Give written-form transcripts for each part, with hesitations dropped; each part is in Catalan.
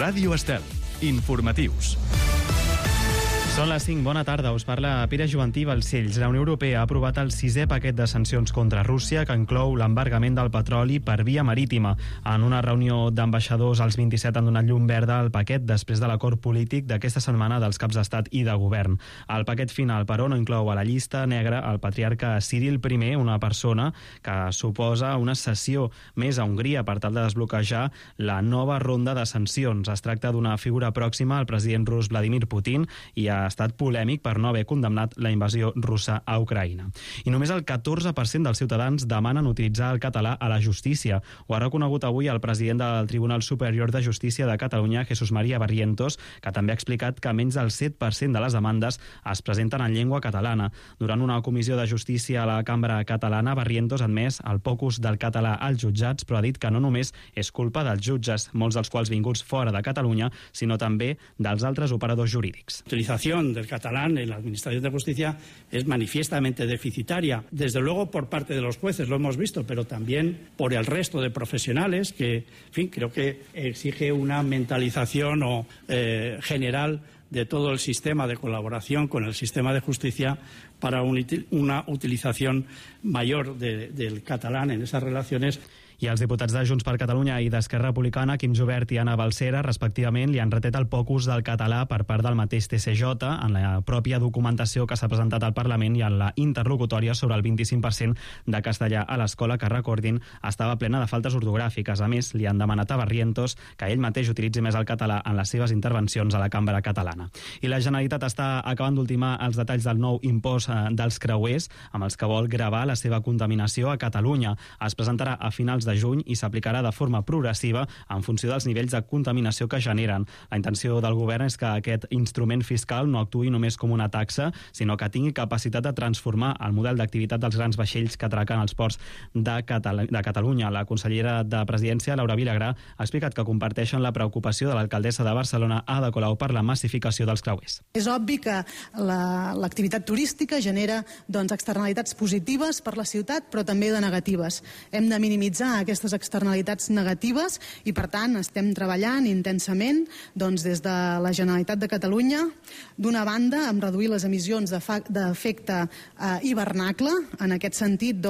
Ràdio Estel. Informatius. Són les 5. Bona tarda. Us parla Pere Joventí Balcells. La Unió Europea ha aprovat el 6è paquet de sancions contra Rússia, que inclou l'embargament del petroli per via marítima. En una reunió d'ambaixadors, els 27 han donat llum verda al paquet després de l'acord polític d'aquesta setmana dels caps d'estat i de govern. El paquet final, però, no inclou a la llista negra el patriarca Cyril I, una persona que suposa una cessió més a Hongria per tal de desbloquejar la nova ronda de sancions. Es tracta d'una figura pròxima al president rus Vladimir Putin i ha estat polèmic per no haver condemnat la invasió russa a Ucraïna. I només el 14% dels ciutadans demanen utilitzar el català a la justícia. Ho ha reconegut avui el president del Tribunal Superior de Justícia de Catalunya, Jesús María Barrientos, que també ha explicat que menys del 7% de les demandes es presenten en llengua catalana. Durant una comissió de justícia a la Cambra Catalana, Barrientos ha admès el poc ús del català als jutjats, però ha dit que no només és culpa dels jutges, molts dels quals vinguts fora de Catalunya, sinó també dels altres operadors jurídics. Del catalán en la Administración de Justicia es manifiestamente deficitaria, desde luego por parte de los jueces, lo hemos visto, pero también por el resto de profesionales que, en fin, creo que exige una mentalización general de todo el sistema de colaboración con el sistema de justicia para una utilización mayor del catalán en esas relaciones. I els diputats de Junts per Catalunya i d'Esquerra Republicana, Quim Jubert i Anna Balsera, respectivament, li han retret el poc ús del català per part del mateix TCJ en la pròpia documentació que s'ha presentat al Parlament i en la interlocutòria sobre el 25% de castellà a l'escola, que, recordin, estava plena de faltes ortogràfiques. A més, li han demanat a Barrientos que ell mateix utilitzi més el català en les seves intervencions a la Cambra Catalana. I la Generalitat està acabant d'ultimar els detalls del nou impost dels creuers, amb els que vol gravar la seva contaminació a Catalunya. Es presentarà a finals de juny i s'aplicarà de forma progressiva en funció dels nivells de contaminació que generen. La intenció del govern és que aquest instrument fiscal no actuï només com una taxa, sinó que tingui capacitat de transformar el model d'activitat dels grans vaixells que atraquen als ports de Catalunya. La consellera de Presidència, Laura Vilagrà, ha explicat que comparteixen la preocupació de l'alcaldessa de Barcelona, Ada Colau, per la massificació dels creuers. És obvi que l'activitat turística genera externalitats positives per la ciutat, però també de negatives. Hem de minimitzar aquestes externalitats negatives i, per tant, estem treballant intensament des de la Generalitat de Catalunya, d'una banda, amb reduir les emissions d'efecte hivernacle. En aquest sentit,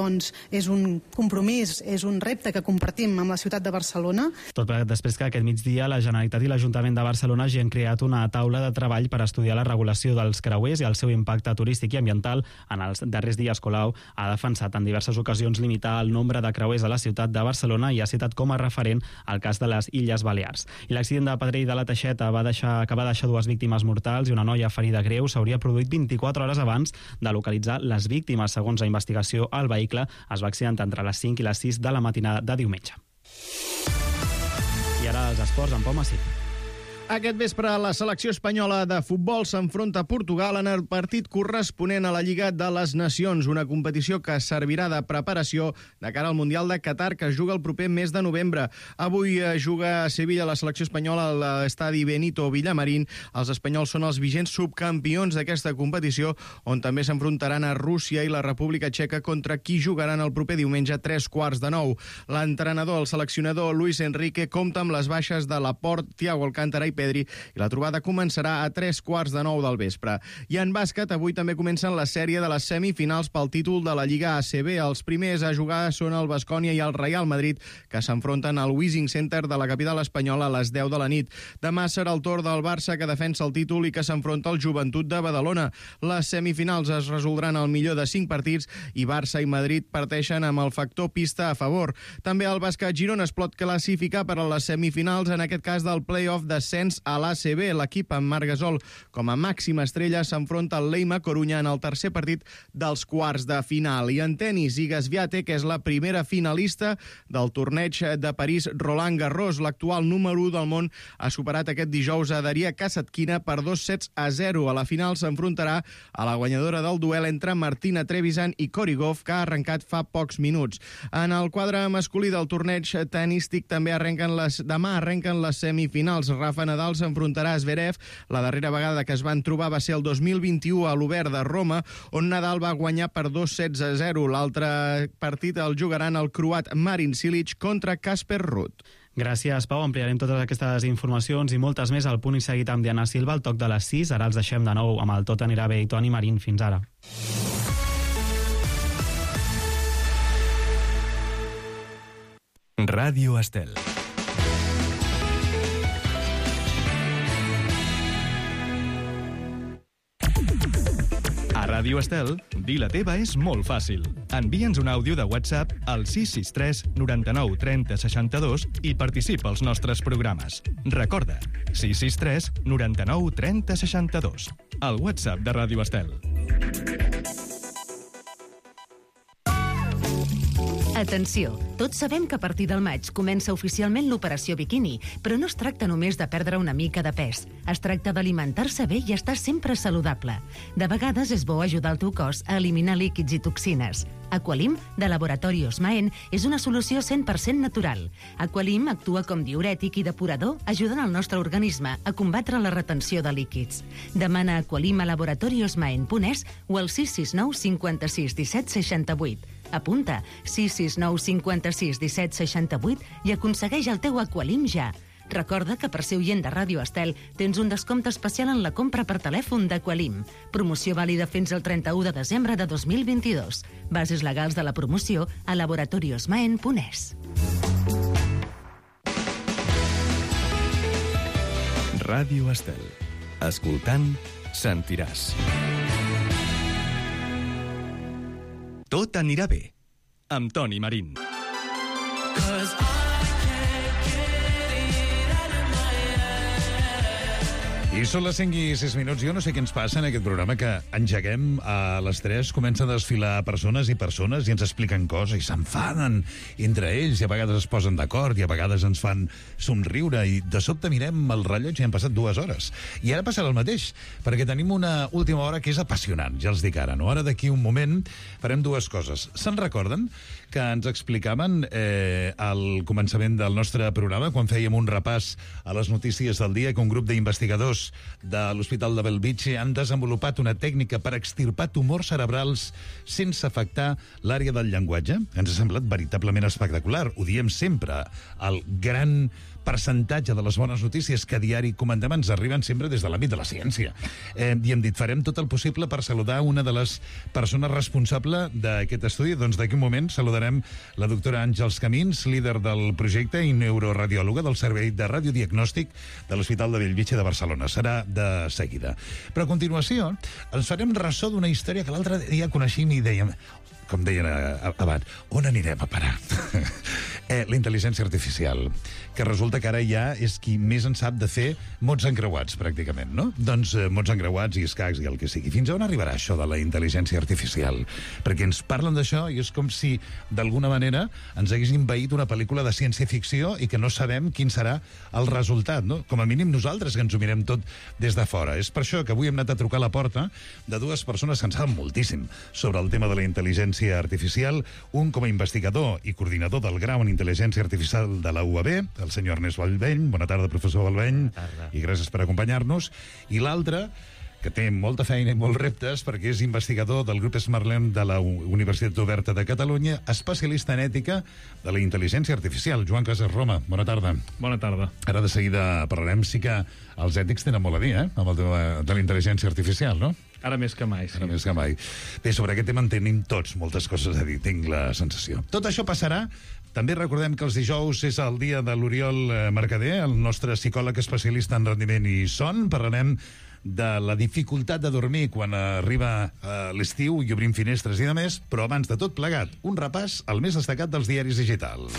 és un compromís, és un repte que compartim amb la ciutat de Barcelona. Tot després que aquest migdia la Generalitat i l'Ajuntament de Barcelona hagi creat una taula de treball per estudiar la regulació dels creuers i el seu impacte turístic i ambiental. En els darrers dies, Colau ha defensat en diverses ocasions limitar el nombre de creuers a la ciutat de Barcelona i ha citat com a referent el cas de les Illes Balears. I l'accident de Pedrell de la Teixeta que va deixar 2 víctimes mortals i una noia ferida greu s'hauria produït 24 hores abans de localitzar les víctimes. Segons la investigació, el vehicle es va accidentar entre les 5 i les 6 de la matinada de diumenge. I ara els esports amb Pau Massip. Aquest vespre la selecció espanyola de futbol s'enfronta a Portugal en el partit corresponent a la Lliga de les Nacions, una competició que servirà de preparació de cara al Mundial de Qatar, que es juga el proper mes de novembre. Avui juga a Sevilla la selecció espanyola a l'estadi Benito Villamarín. Els espanyols són els vigents subcampions d'aquesta competició, on també s'enfrontaran a Rússia i la República Txeca, contra qui jugaran el proper diumenge a 8:45. L'entrenador, el seleccionador Luis Enrique, compta amb les baixes de Laporte, Thiago Alcántara i Pedri, i la trobada començarà a 8:45 del vespre. I en bàsquet, avui també comencen la sèrie de les semifinals pel títol de la Lliga ACB. Els primers a jugar són el Baskonia i el Real Madrid, que s'enfronten al Wishing Center de la capital espanyola a les 10 de la nit. Demà serà el torn del Barça, que defensa el títol i que s'enfronta al Joventut de Badalona. Les semifinals es resoldran al millor de 5 partits i Barça i Madrid parteixen amb el factor pista a favor. També el bàsquet Girona es pot classificar per a les semifinals, en aquest cas del play-off d'ascens a l'ACB. L'equip amb Marc Gasol com a màxima estrella s'enfronta al Leima Corunya en el tercer partit dels quarts de final. I en tenis, Iga Swiatek, que és la primera finalista del torneig de París Roland Garros. L'actual número 1 del món ha superat aquest dijous a Daria Kasatkina per 2-0. A la final s'enfrontarà a la guanyadora del duel entre Martina Trevisan i Cory Gauff, que ha arrencat fa pocs minuts. En el quadre masculí del torneig tenístic també demà arrenquen les semifinals. Rafa Nadal s'enfrontarà a Zverev. La darrera vegada que es van trobar va ser el 2021 a l'Obert de Roma, on Nadal va guanyar per 2-0. L'altre partit el jugaran el croat Marin Cilic contra Casper Ruud. Gràcies, Pau. Ampliarem totes aquestes informacions i moltes més al Punt i Seguit amb Diana Silva al toc de les 6. Ara els deixem de nou amb el Tot anirà bé i Toni Marín. Fins ara. Ràdio Estel. A Ràdio Estel, dir la teva és molt fàcil. Envia'ns un àudio de WhatsApp al 663 99 30 62 i participa als nostres programes. Recorda, 663 99 30 62. El WhatsApp de Ràdio Estel. Atenció, tots sabem que a partir del maig comença oficialment l'operació biquini, però no es tracta només de perdre una mica de pes. Es tracta d'alimentar-se bé i estar sempre saludable. De vegades és bo ajudar el teu cos a eliminar líquids i toxines. Aqualim, de Laboratori Osmaen, és una solució 100% natural. Aqualim actua com diürètic i depurador, ajudant el nostre organisme a combatre la retenció de líquids. Demana Aqualim a laboratoriosmaen.es o al 669 56 17 68. Apunta 669 56 17 68 i aconsegueix el teu Aqualim ja. Recorda que per ser oient de Ràdio Estel tens un descompte especial en la compra per telèfon d'Aqualim. Promoció vàlida fins al 31 de desembre de 2022. Bases legals de la promoció a laboratoriosmaen.es. Ràdio Estel. Escoltant, sentiràs. Tot anirà bé, amb Toni Marín. I són les 5 i 6 minuts. Jo no sé què ens passa en aquest programa, que engeguem a les 3, comencen a desfilar persones i ens expliquen coses i s'enfaden entre ells i a vegades es posen d'acord i a vegades ens fan somriure i de sobte mirem el rellotge i han passat 2 hores. I ara passarà el mateix, perquè tenim una última hora que és apassionant, ja els dic ara, no? Ara d'aquí un moment farem 2 coses. Se'n recorden que ens explicaven al començament del nostre programa, quan fèiem un repàs a les notícies del dia, que un grup d'investigadors de l'Hospital de Bellvitge han desenvolupat una tècnica per extirpar tumors cerebrals sense afectar l'àrea del llenguatge? Ens ha semblat veritablement espectacular. Ho diem sempre. El gran percentatge de les bones notícies que a diari comentem ens arriben sempre des de l'àmbit de la ciència. I hem dit, farem tot el possible per saludar una de les persones responsable d'aquest estudi. Doncs d'aquí un moment saludarem la doctora Àngels Camins, líder del projecte i neuroradiòloga del Servei de Radiodiagnòstic de l'Hospital de Bellvitge de Barcelona. Serà de seguida. Però a continuació ens farem ressò d'una història que l'altre dia coneixíem i dèiem, com deien abans, on anirem a parar? La intel·ligència artificial, que resulta que ara ja és qui més en sap de fer mots encreuats, pràcticament, no? Doncs mots encreuats i escacs i el que sigui. Fins a on arribarà això de la intel·ligència artificial? Perquè ens parlen d'això i és com si, d'alguna manera, ens hagués envaït una pel·lícula de ciència-ficció i que no sabem quin serà el resultat, no? Com a mínim nosaltres, que ens ho mirem tot des de fora. És per això que avui hem anat a trucar a la porta de 2 persones que en saben moltíssim sobre el tema de la intel·ligència artificial, un com a investigador i coordinador del grau en intel·ligència artificial de la UAB, el senyor Ernest Vallveny. Bona tarda, professor Vallveny. Bona tarda. I gràcies per acompanyar-nos. I l'altre, que té molta feina i molts reptes, perquè és investigador del grup SmartLearn de la Universitat Oberta de Catalunya, especialista en ètica de la intel·ligència artificial. Joan Casas Roma, bona tarda. Bona tarda. Ara de seguida parlarem. Sí que els ètics tenen molt a dir, amb el tema de la intel·ligència artificial, no? Ara més que mai, sí. Ara més que mai. Bé, sobre aquest tema en tenim tots moltes coses a dir, tinc la sensació. Tot això passarà. També recordem que els dijous és el dia de l'Oriol Mercader, el nostre psicòleg especialista en rendiment i son. Parlarem de la dificultat de dormir quan arriba l'estiu i obrim finestres i demés, però abans de tot plegat, un repàs al més destacat dels diaris digitals.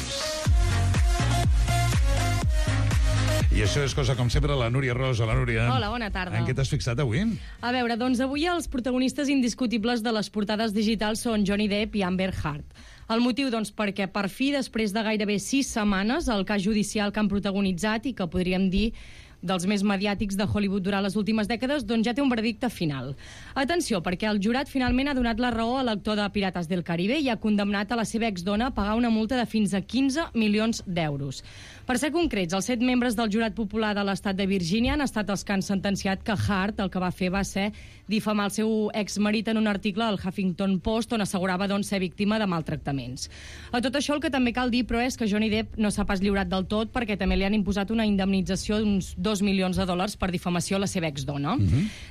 I això és cosa com sempre, la Núria Ros. Hola, Núria. Hola, bona tarda. En què t'has fixat avui? A veure, doncs avui els protagonistes indiscutibles de les portades digitals són Johnny Depp i Amber Heard. El motiu, doncs, perquè per fi, després de gairebé 6 setmanes, el cas judicial que han protagonitzat i que podríem dir dels més mediàtics de Hollywood durant les últimes dècades, doncs ja té un veredicte final. Atenció, perquè el jurat finalment ha donat la raó a l'actor de Pirates del Caribe i ha condemnat a la seva exdona a pagar una multa de fins a 15 milions d'euros. Per ser concrets, els 7 membres del jurat popular de l'estat de Virgínia han estat els que han sentenciat que Hart el que va fer va ser difamar el seu exmarit en un article al Huffington Post on assegurava doncs, ser víctima de maltractaments. A tot això el que també cal dir, però, és que Johnny Depp no s'ha pas lliurat del tot perquè també li han imposat una indemnització d'uns $2 milions per difamació a la seva exdona.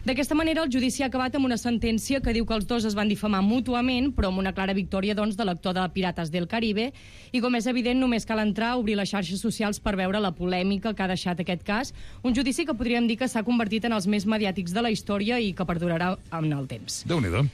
D'aquesta manera, el judici ha acabat amb una sentència que diu que els dos es van difamar mútuament, però amb una clara victòria doncs, de l'actor de Pirates del Caribe, i com és evident, només cal entrar a obrir les xarxes socials per veure la polèmica que ha deixat aquest cas, un judici que podríem dir que s'ha convertit en els més mediàtics de la història i que perdurarà en el temps. Déu-n'hi-do.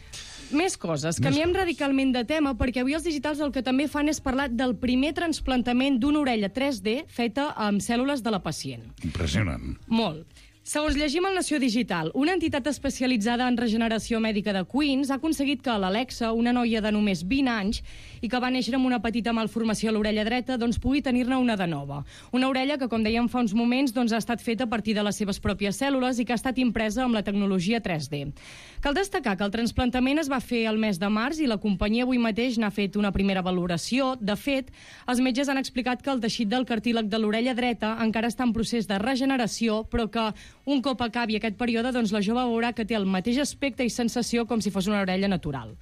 Més coses. Canviem radicalment de tema perquè avui els digitals el que també fan és parlar del primer trasplantament d'una orella 3D feta amb cèl·lules de la pacient. Impressionant. Molt. Segons llegim al Nació Digital, una entitat especialitzada en regeneració mèdica de Queens ha aconseguit que l'Alexa, una noia de només 20 anys i que va néixer amb una petita malformació a l'orella dreta, doncs pugui tenir-ne una de nova. Una orella que, com dèiem fa uns moments, doncs ha estat feta a partir de les seves pròpies cèl·lules i que ha estat impresa amb la tecnologia 3D. Cal destacar que el trasplantament es va fer el mes de març i la companyia avui mateix n'ha fet una primera valoració. De fet, els metges han explicat que el teixit del cartílag de l'orella dreta encara està en procés de regeneració, però que un cop acabi aquest període, doncs la jove veurà que té el mateix aspecte i sensació com si fos una orella natural.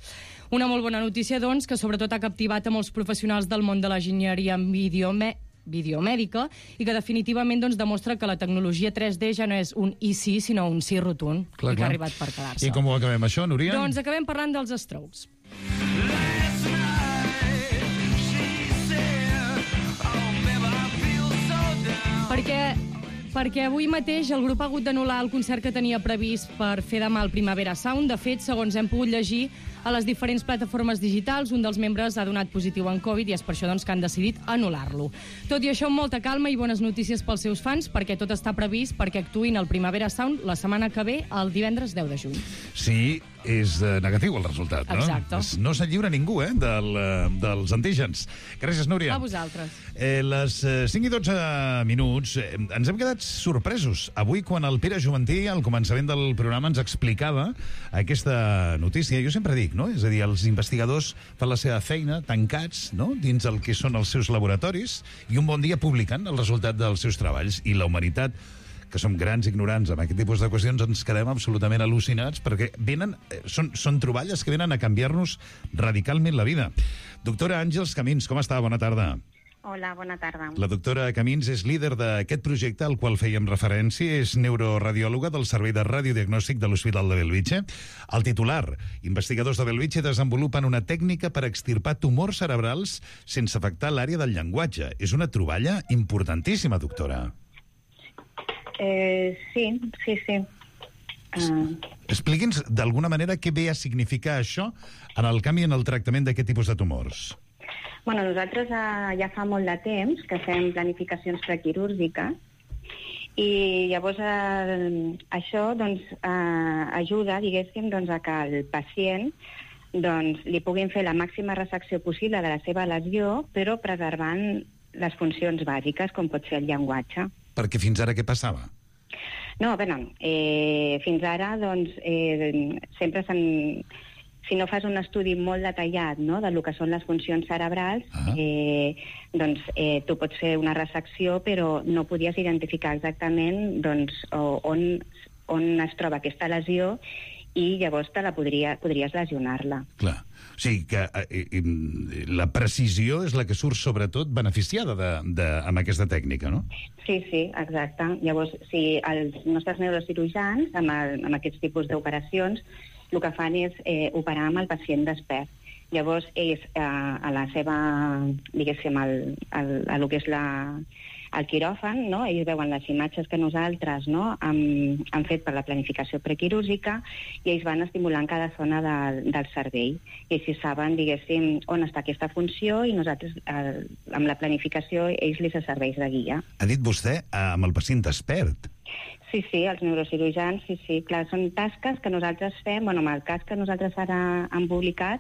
Una molt bona notícia, doncs, que sobretot ha captivat a molts professionals del món de l'enginyeria videomèdica i que definitivament doncs, demostra que la tecnologia 3D ja no és un i sí, sinó un sí rotund, i que ha arribat per quedar-se. I com ho acabem, això, Núria? Doncs acabem parlant dels Strokes. Perquè avui mateix el grup ha hagut d'anul·lar el concert que tenia previst per fer demà al Primavera Sound. De fet, segons hem pogut llegir a les diferents plataformes digitals, un dels membres ha donat positiu en Covid i és per això doncs, que han decidit anul·lar-lo. Tot i això, amb molta calma i bones notícies pels seus fans, perquè tot està previst perquè actuïn al Primavera Sound la setmana que ve, el divendres 10 de juny. Sí, és negatiu el resultat, no? Exacte. No se'n lliura ningú, dels antígens. Gràcies, Núria. A vosaltres. Les 5 i 12 minuts ens hem quedat sorpresos. Avui, quan el Pere Juvantí, al començament del programa, ens explicava aquesta notícia, jo sempre dic, no? És a dir, els investigadors fan la seva feina tancats, no?, dins el que són els seus laboratoris i un bon dia publiquen el resultat dels seus treballs. I la humanitat, que som grans ignorants amb aquest tipus de qüestions, ens quedem absolutament al·lucinats perquè són troballes que venen a canviar-nos radicalment la vida. Doctora Àngels Camins, com està? Bona tarda. Hola, bona tarda. La doctora Camins és líder d'aquest projecte al qual fèiem referència, és neuroradiòloga del Servei de Radiodiagnòstic de l'Hospital de Bellvitge. El titular: investigadors de Bellvitge desenvolupen una tècnica per extirpar tumors cerebrals sense afectar l'àrea del llenguatge. És una troballa importantíssima, doctora. Sí. Expliqui'ns d'alguna manera què ve a significar això en el canvi en el tractament d'aquest tipus de tumors. Bueno, nosaltres ja fa molt de temps que fem planificacions prequirúrgiques i llavors això doncs, ajuda, diguéssim, doncs, a que el pacient doncs, li puguin fer la màxima resecció possible de la seva lesió, però preservant les funcions bàsiques, com pot ser el llenguatge. Perquè fins ara què passava? No, fins ara doncs, sempre si no fas un estudi molt detallat, no?, del que són les funcions cerebrals, doncs tu pots fer una resecció, però no podies identificar exactament doncs, on es troba aquesta lesió i llavors podries lesionar-la. Clar. O sigui que la precisió és la que surt sobretot beneficiada amb aquesta tècnica, no? Sí, exacte. Llavors, si els nostres neurocirurgians, amb aquests tipus d'operacions, el que fan és operar amb el pacient despert. Llavors, ells, a la seva, diguéssim, el que és el quiròfan, no?, ells veuen les imatges que nosaltres, no?, hem fet per la planificació prequirúrgica i ells van estimulant cada zona del cervell. I així saben, diguéssim, on està aquesta funció i nosaltres, amb la planificació, ells li serveix de guia. Ha dit vostè amb el pacient despert. Sí, els neurocirurgians, sí, clar, són tasques que nosaltres fem, amb el cas que nosaltres ara hem publicat,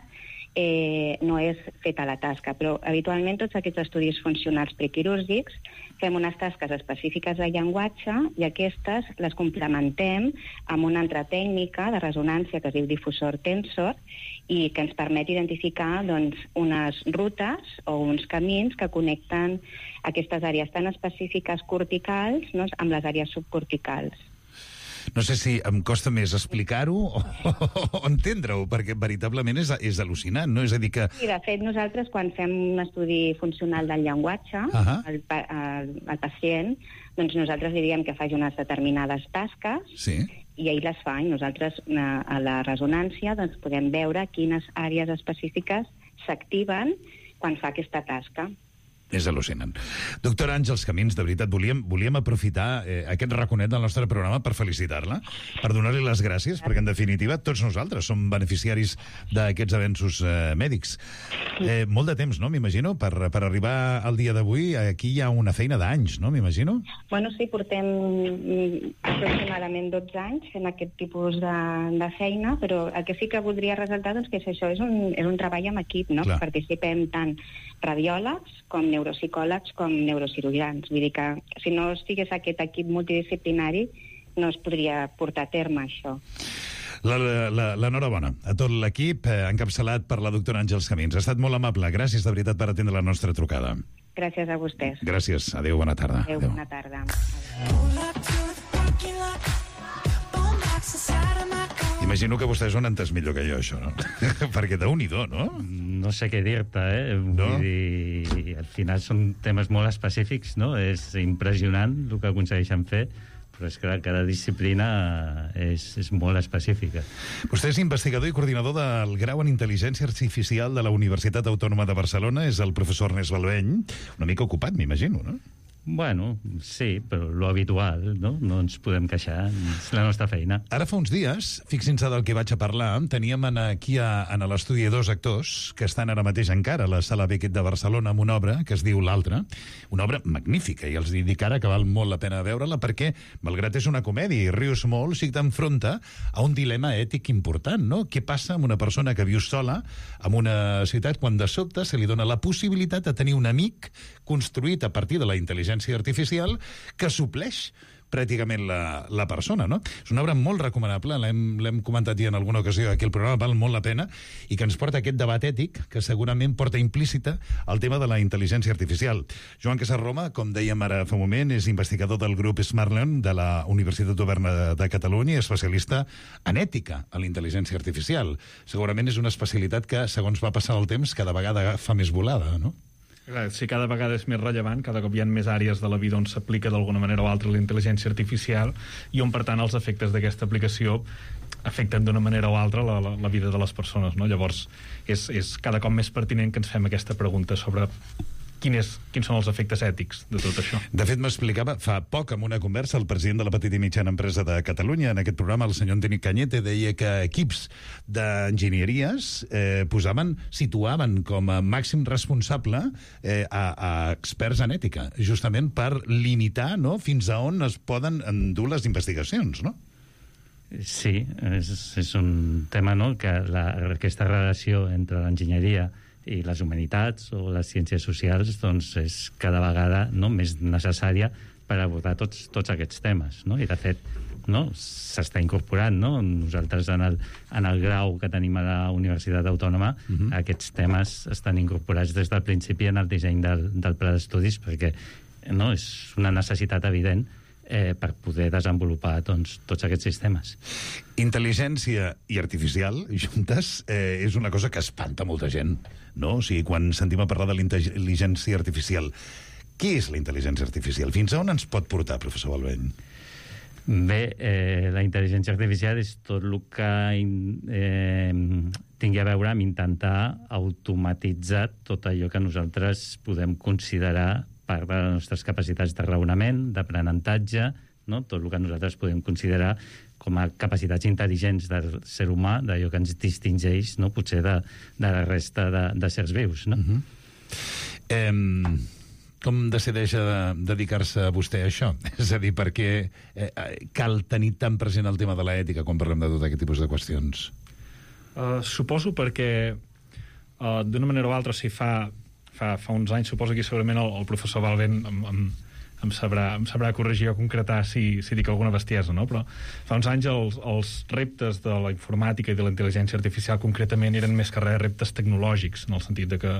no és feta la tasca, però habitualment tots aquests estudis funcionals prequirúrgics fem unes tasques específiques de llenguatge i aquestes les complementem amb una altra tècnica de resonància que es diu difusor tensor i que ens permet identificar unes rutes o uns camins que connecten aquestes àrees tan específiques corticals amb les àrees subcorticals. No sé si em costa més explicar-ho o entendre-ho, perquè veritablement és al·lucinant, no? És a dir que... Sí, de fet, nosaltres quan fem un estudi funcional del llenguatge al pacient, doncs nosaltres li diem que faci unes determinades tasques i ell les fa, i nosaltres a la resonància podem veure quines àrees específiques s'activen quan fa aquesta tasca. És al·lucinant. Doctora Àngels Camins, de veritat, volíem aprofitar aquest raconet del nostre programa per felicitar-la, per donar-li les gràcies, perquè en definitiva tots nosaltres som beneficiaris d'aquests avenços mèdics. Molt de temps, no? M'imagino, per arribar al dia d'avui, aquí hi ha una feina d'anys, no? M'imagino? Bueno, sí, portem aproximadament 12 anys fent aquest tipus de feina, però el que sí que voldria ressaltar que això és un treball en equip, no? Participem tant radiòlegs com neuropsicòlegs com neurocirurgians. Vull dir que si no estigués aquest equip multidisciplinari no es podria portar a terme això. L'enhorabona a tot l'equip encapçalat per la doctora Àngels Camins. Ha estat molt amable. Gràcies de veritat per atendre la nostra trucada. Gràcies a vostès. Gràcies. Adéu, bona tarda. Adéu, bona tarda. Imagino que vostès ho han entès millor que jo, això, no? Perquè Déu-n'hi-do, no? No sé què dir-te, No? Vull dir, al final són temes molt específics, no? És impressionant el que aconsegueixen fer, però és que cada disciplina és molt específica. Vostè és investigador i coordinador del grau en Intel·ligència Artificial de la Universitat Autònoma de Barcelona. És el professor Ernest Balveny. Una mica ocupat, m'imagino, no? Bueno, sí, però lo habitual, no? No ens podem queixar, és la nostra feina. Ara fa uns dies, fixin-se del que vaig a parlar, teníem aquí en l'estudi 2 actors que estan ara mateix encara a la Sala Beckett de Barcelona amb una obra que es diu L'Altre, una obra magnífica, i els dic ara que val molt la pena veure-la perquè, malgrat és una comèdia i rius molt, sí que t'enfronta a un dilema ètic important, no? Què passa amb una persona que viu sola en una ciutat quan de sobte se li dona la possibilitat de tenir un amic construït a partir de la intel·ligència artificial que supleix pràcticament la persona, no? És una obra molt recomanable, l'hem comentat ja en alguna ocasió aquí al programa, val molt la pena, i que ens porta aquest debat ètic que segurament porta implícita el tema de la intel·ligència artificial. Joan Casarroma, com dèiem ara fa un moment, és investigador del grup Smartlearn de la Universitat Oberta de Catalunya i especialista en ètica a la intel·ligència artificial. Segurament és una especialitat que, segons va passar el temps, cada vegada fa més volada, no? Clar, si cada vegada és més rellevant, cada cop hi ha més àrees de la vida on s'aplica d'alguna manera o altra la intel·ligència artificial i on, per tant, els efectes d'aquesta aplicació afecten d'una manera o altra la vida de les persones, no? Llavors, és cada cop més pertinent que ens fem aquesta pregunta sobre quins són els efectes ètics de tot això. De fet, m'explicava fa poc en una conversa el president de la petita i mitjana empresa de Catalunya, en aquest programa, el senyor Antoni Cañete, deia que equips d'enginyeries situaven com a màxim responsable a experts en ètica, justament per limitar, no?, fins a on es poden endur les investigacions, no? Sí, és un tema, no?, que aquesta relació entre l'enginyeria i les humanitats o les ciències socials doncs és cada vegada més necessària per abordar tots aquests temes, no? I de fet s'està incorporant, no? Nosaltres en el grau que tenim a la Universitat Autònoma aquests temes estan incorporats des del principi en el disseny del pla d'estudis perquè és una necessitat evident per poder desenvolupar tots aquests sistemes. Intel·ligència i artificial juntes és una cosa que espanta molta gent, no? O sigui, quan sentim a parlar de l'intel·ligència artificial, què és la intel·ligència artificial? Fins a on ens pot portar, professor Balveny? Bé, la intel·ligència artificial és tot el que tingui a veure amb intentar automatitzar tot allò que nosaltres podem considerar part de les nostres capacitats de raonament, d'aprenentatge, no? Tot el que nosaltres podem considerar com a capacitats intel·ligents del ser humà, d'allò que ens distingeix, no?, potser de la resta de sers vius, no? Com decideix dedicar-se vostè a això? És a dir, per què cal tenir tan present el tema de l'ètica quan parlem de tot aquest tipus de qüestions? Suposo perquè d'una manera o altra, o sigui, fa uns anys, suposo que segurament el professor Balvent em sabrà corregir o concretar si dic alguna bestiesa, no? Però fa uns anys els reptes de la informàtica i de la intel·ligència artificial concretament eren més que res reptes tecnològics, en el sentit de que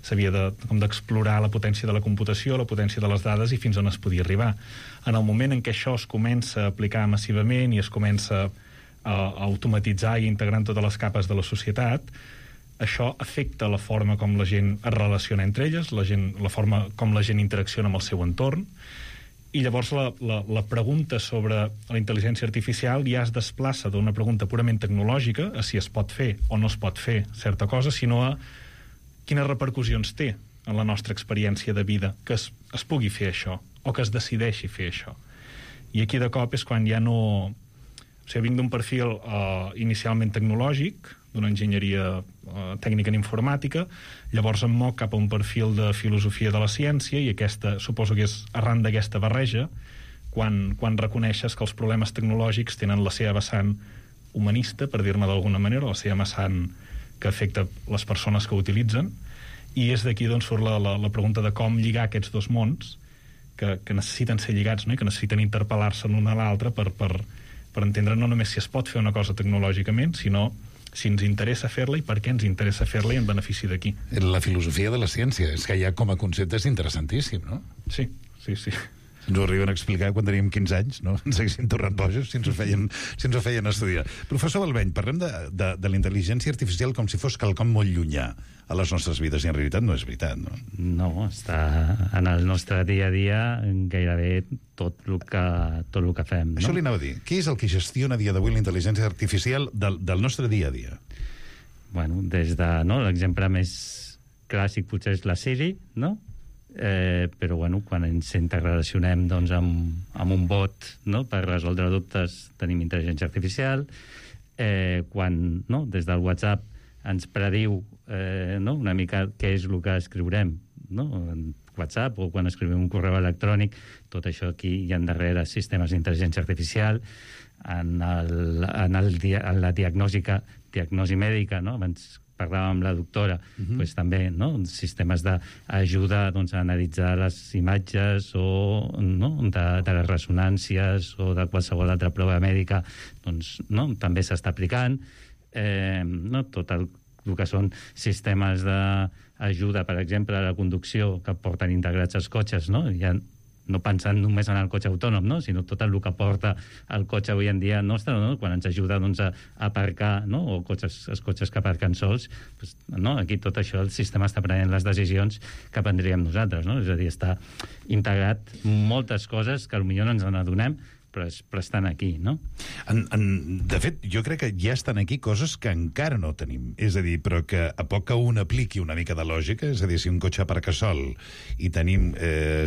s'havia d'explorar la potència de la computació, la potència de les dades i fins on es podia arribar. En el moment en què això es comença a aplicar massivament i es comença a automatitzar i integrar en totes les capes de la societat, això afecta la forma com la gent es relaciona entre elles, la forma com la gent interacciona amb el seu entorn, i llavors la pregunta sobre la intel·ligència artificial ja es desplaça d'una pregunta purament tecnològica, a si es pot fer o no es pot fer certa cosa, sinó a quines repercussions té en la nostra experiència de vida que es pugui fer això, o que es decideixi fer això. I aquí de cop és quan ja no... O sigui, vinc d'un perfil inicialment tecnològic, d'una enginyeria tècnica en informàtica, llavors em moc cap a un perfil de filosofia de la ciència, i aquesta, suposo que és arran d'aquesta barreja, quan reconeixes que els problemes tecnològics tenen la seva vessant humanista, per dir-ne d'alguna manera, la seva vessant que afecta les persones que ho utilitzen, i és d'aquí d'on surt la pregunta de com lligar aquests dos mons que necessiten ser lligats, no? I que necessiten interpel·lar-se l'un a l'altre per entendre no només si es pot fer una cosa tecnològicament, sinó si ens interessa fer-la i per què ens interessa fer-la i en benefici de qui. La filosofia de la ciència, és que ja com a concepte és interessantíssim, no? Sí. Ens ho arriben a explicar quan teníem 15 anys, no? Ens haguessin tornat bojos si ens ho feien estudiar. Professor Balveny, parlem de la intel·ligència artificial com si fos quelcom molt llunyà a les nostres vides, i en realitat no és veritat, no? No, està en el nostre dia a dia gairebé tot el que fem, no? Això li anava a dir. Què és el que gestiona a dia d'avui la intel·ligència artificial del nostre dia a dia? Bueno, des de... No, l'exemple més clàssic potser és la Siri, no? Però bueno, quan ens interrelacionem doncs, amb un bot, no? Per resoldre dubtes tenim intel·ligència artificial, quan no? Des del WhatsApp ens prediu no? Una mica què és el que escriurem, no? En WhatsApp, o quan escrivim un correu electrònic, tot això aquí hi ha darrere sistemes d'intel·ligència artificial. En la diagnosi mèdica, no? Abans parlàvem amb la doctora, doncs també, no? Sistemes d'ajuda doncs, a analitzar les imatges o no? de les ressonàncies o de qualsevol altra prova mèdica, doncs no? També s'està aplicant. No? Tot el que són sistemes d'ajuda, per exemple, a la conducció que porten integrats els cotxes, no? Ja no pensant només en el cotxe autònom, no? Sinó tot el que porta el cotxe avui en dia nostre, no? Quan ens ajuda doncs, a aparcar, no? O els cotxes que aparquen sols, doncs, no? Aquí tot això el sistema està prenent les decisions que prendríem nosaltres, no? És a dir, està integrat moltes coses que potser no ens n'adonem, però estan aquí, no? De fet, jo crec que ja estan aquí coses que encara no tenim. És a dir, però que a poc que un apliqui una mica de lògica, és a dir, si un cotxe aparca sol i tenim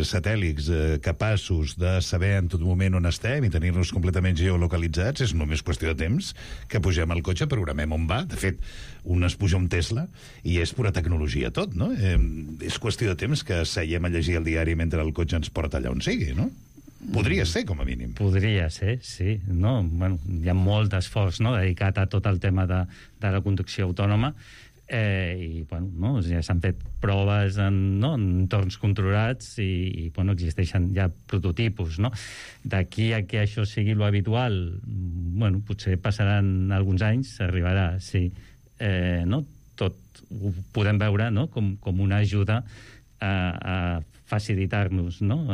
satèl·lits capaços de saber en tot moment on estem i tenir-nos completament geolocalitzats, és només qüestió de temps que pugem al cotxe, programem on va. De fet, un es puja un Tesla i és pura tecnologia tot, no? És qüestió de temps que seiem a llegir el diari mentre el cotxe ens porta allà on sigui, no? Podria ser, com a mínim. Podria ser, sí. No? Bueno, hi ha molt d'esforç, no? Dedicat a tot el tema de la conducció autònoma, i bueno, no? Ja s'han fet proves en entorns controlats i bueno, existeixen ja prototipus, no? D'aquí a que això sigui lo habitual, bueno, potser passaran alguns anys, arribarà, sí. No? Tot ho podem veure, no? com una ajuda a facilitar-nos, no?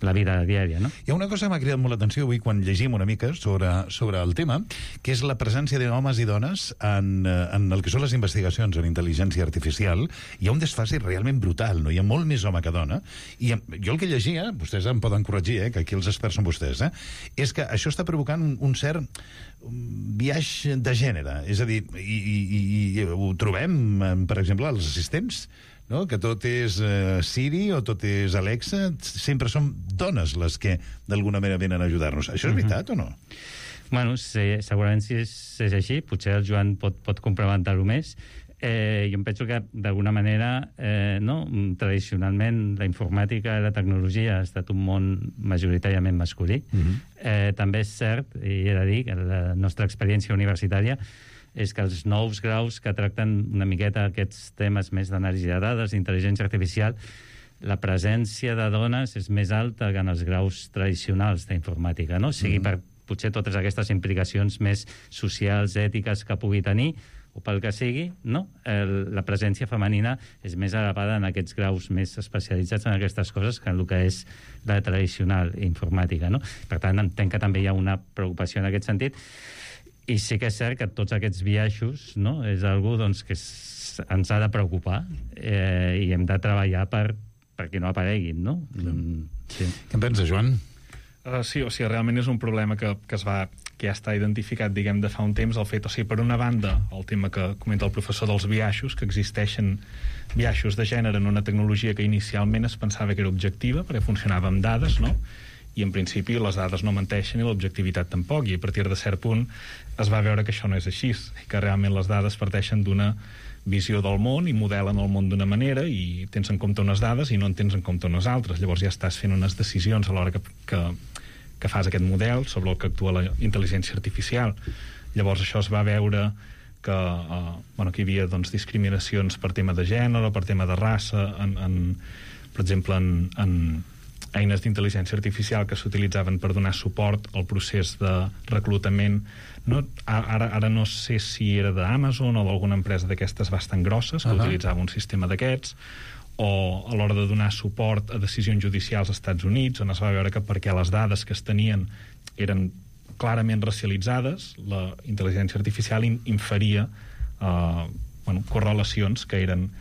La vida diària, no? Hi ha una cosa que m'ha cridat molt l'atenció avui quan llegim una mica sobre el tema, que és la presència d'homes i dones en el que són les investigacions en intel·ligència artificial. Hi ha un desfase realment brutal, no? Hi ha molt més home que dona, i jo el que llegia, vostès em poden corregir, que aquí els experts són vostès, és que això està provocant un cert viatge de gènere, és a dir, i ho trobem, per exemple, als assistents, no? Que tot és Siri o tot és Alexa, sempre són dones les que d'alguna manera venen a ajudar-nos. Això és veritat o no? Bueno, segurament si és així, potser el Joan pot complementar-ho més. Jo em penso que d'alguna manera tradicionalment la informàtica i la tecnologia ha estat un món majoritàriament masculí. També és cert, i he de dir, que la nostra experiència universitària és que els nous graus que tracten una miqueta aquests temes més d'anàlisi de dades, d'intel·ligència artificial, la presència de dones és més alta que en els graus tradicionals d'informàtica, no? Sigui per potser totes aquestes implicacions més socials, ètiques que pugui tenir, o pel que sigui, no? La presència femenina és més elevada en aquests graus més especialitzats en aquestes coses que en el que és la tradicional informàtica, no? Per tant, entenc que també hi ha una preocupació en aquest sentit, i sí que és cert que tots aquests biaixos, no? És algo doncs, que ens ha de preocupar i hem de treballar perquè no apareguin, no? Sí. Què en pensa, Joan? Sí, o sigui, realment és un problema que ja està identificat, diguem, de fa un temps, el fet, o sigui, per una banda, el tema que comenta el professor dels biaixos, que existeixen biaixos de gènere en una tecnologia que inicialment es pensava que era objectiva, perquè funcionava amb dades, no? I en principi les dades no menteixen i l'objectivitat tampoc, i a partir de cert punt es va veure que això no és així, i que realment les dades parteixen d'una visió del món i modelen el món d'una manera i tens en compte unes dades i no en tens en compte unes altres. Llavors ja estàs fent unes decisions a l'hora que fas aquest model sobre el que actua la intel·ligència artificial. Llavors això es va veure que hi havia doncs, discriminacions per tema de gènere, per tema de raça, per exemple, en eines d'intel·ligència artificial que s'utilitzaven per donar suport al procés de reclutament. No, ara no sé si era d'Amazon o d'alguna empresa d'aquestes bastant grosses que utilitzava un sistema d'aquests, o a l'hora de donar suport a decisions judicials als Estats Units, on es va veure que perquè les dades que es tenien eren clarament racialitzades, la intel·ligència artificial inferia correlacions que eren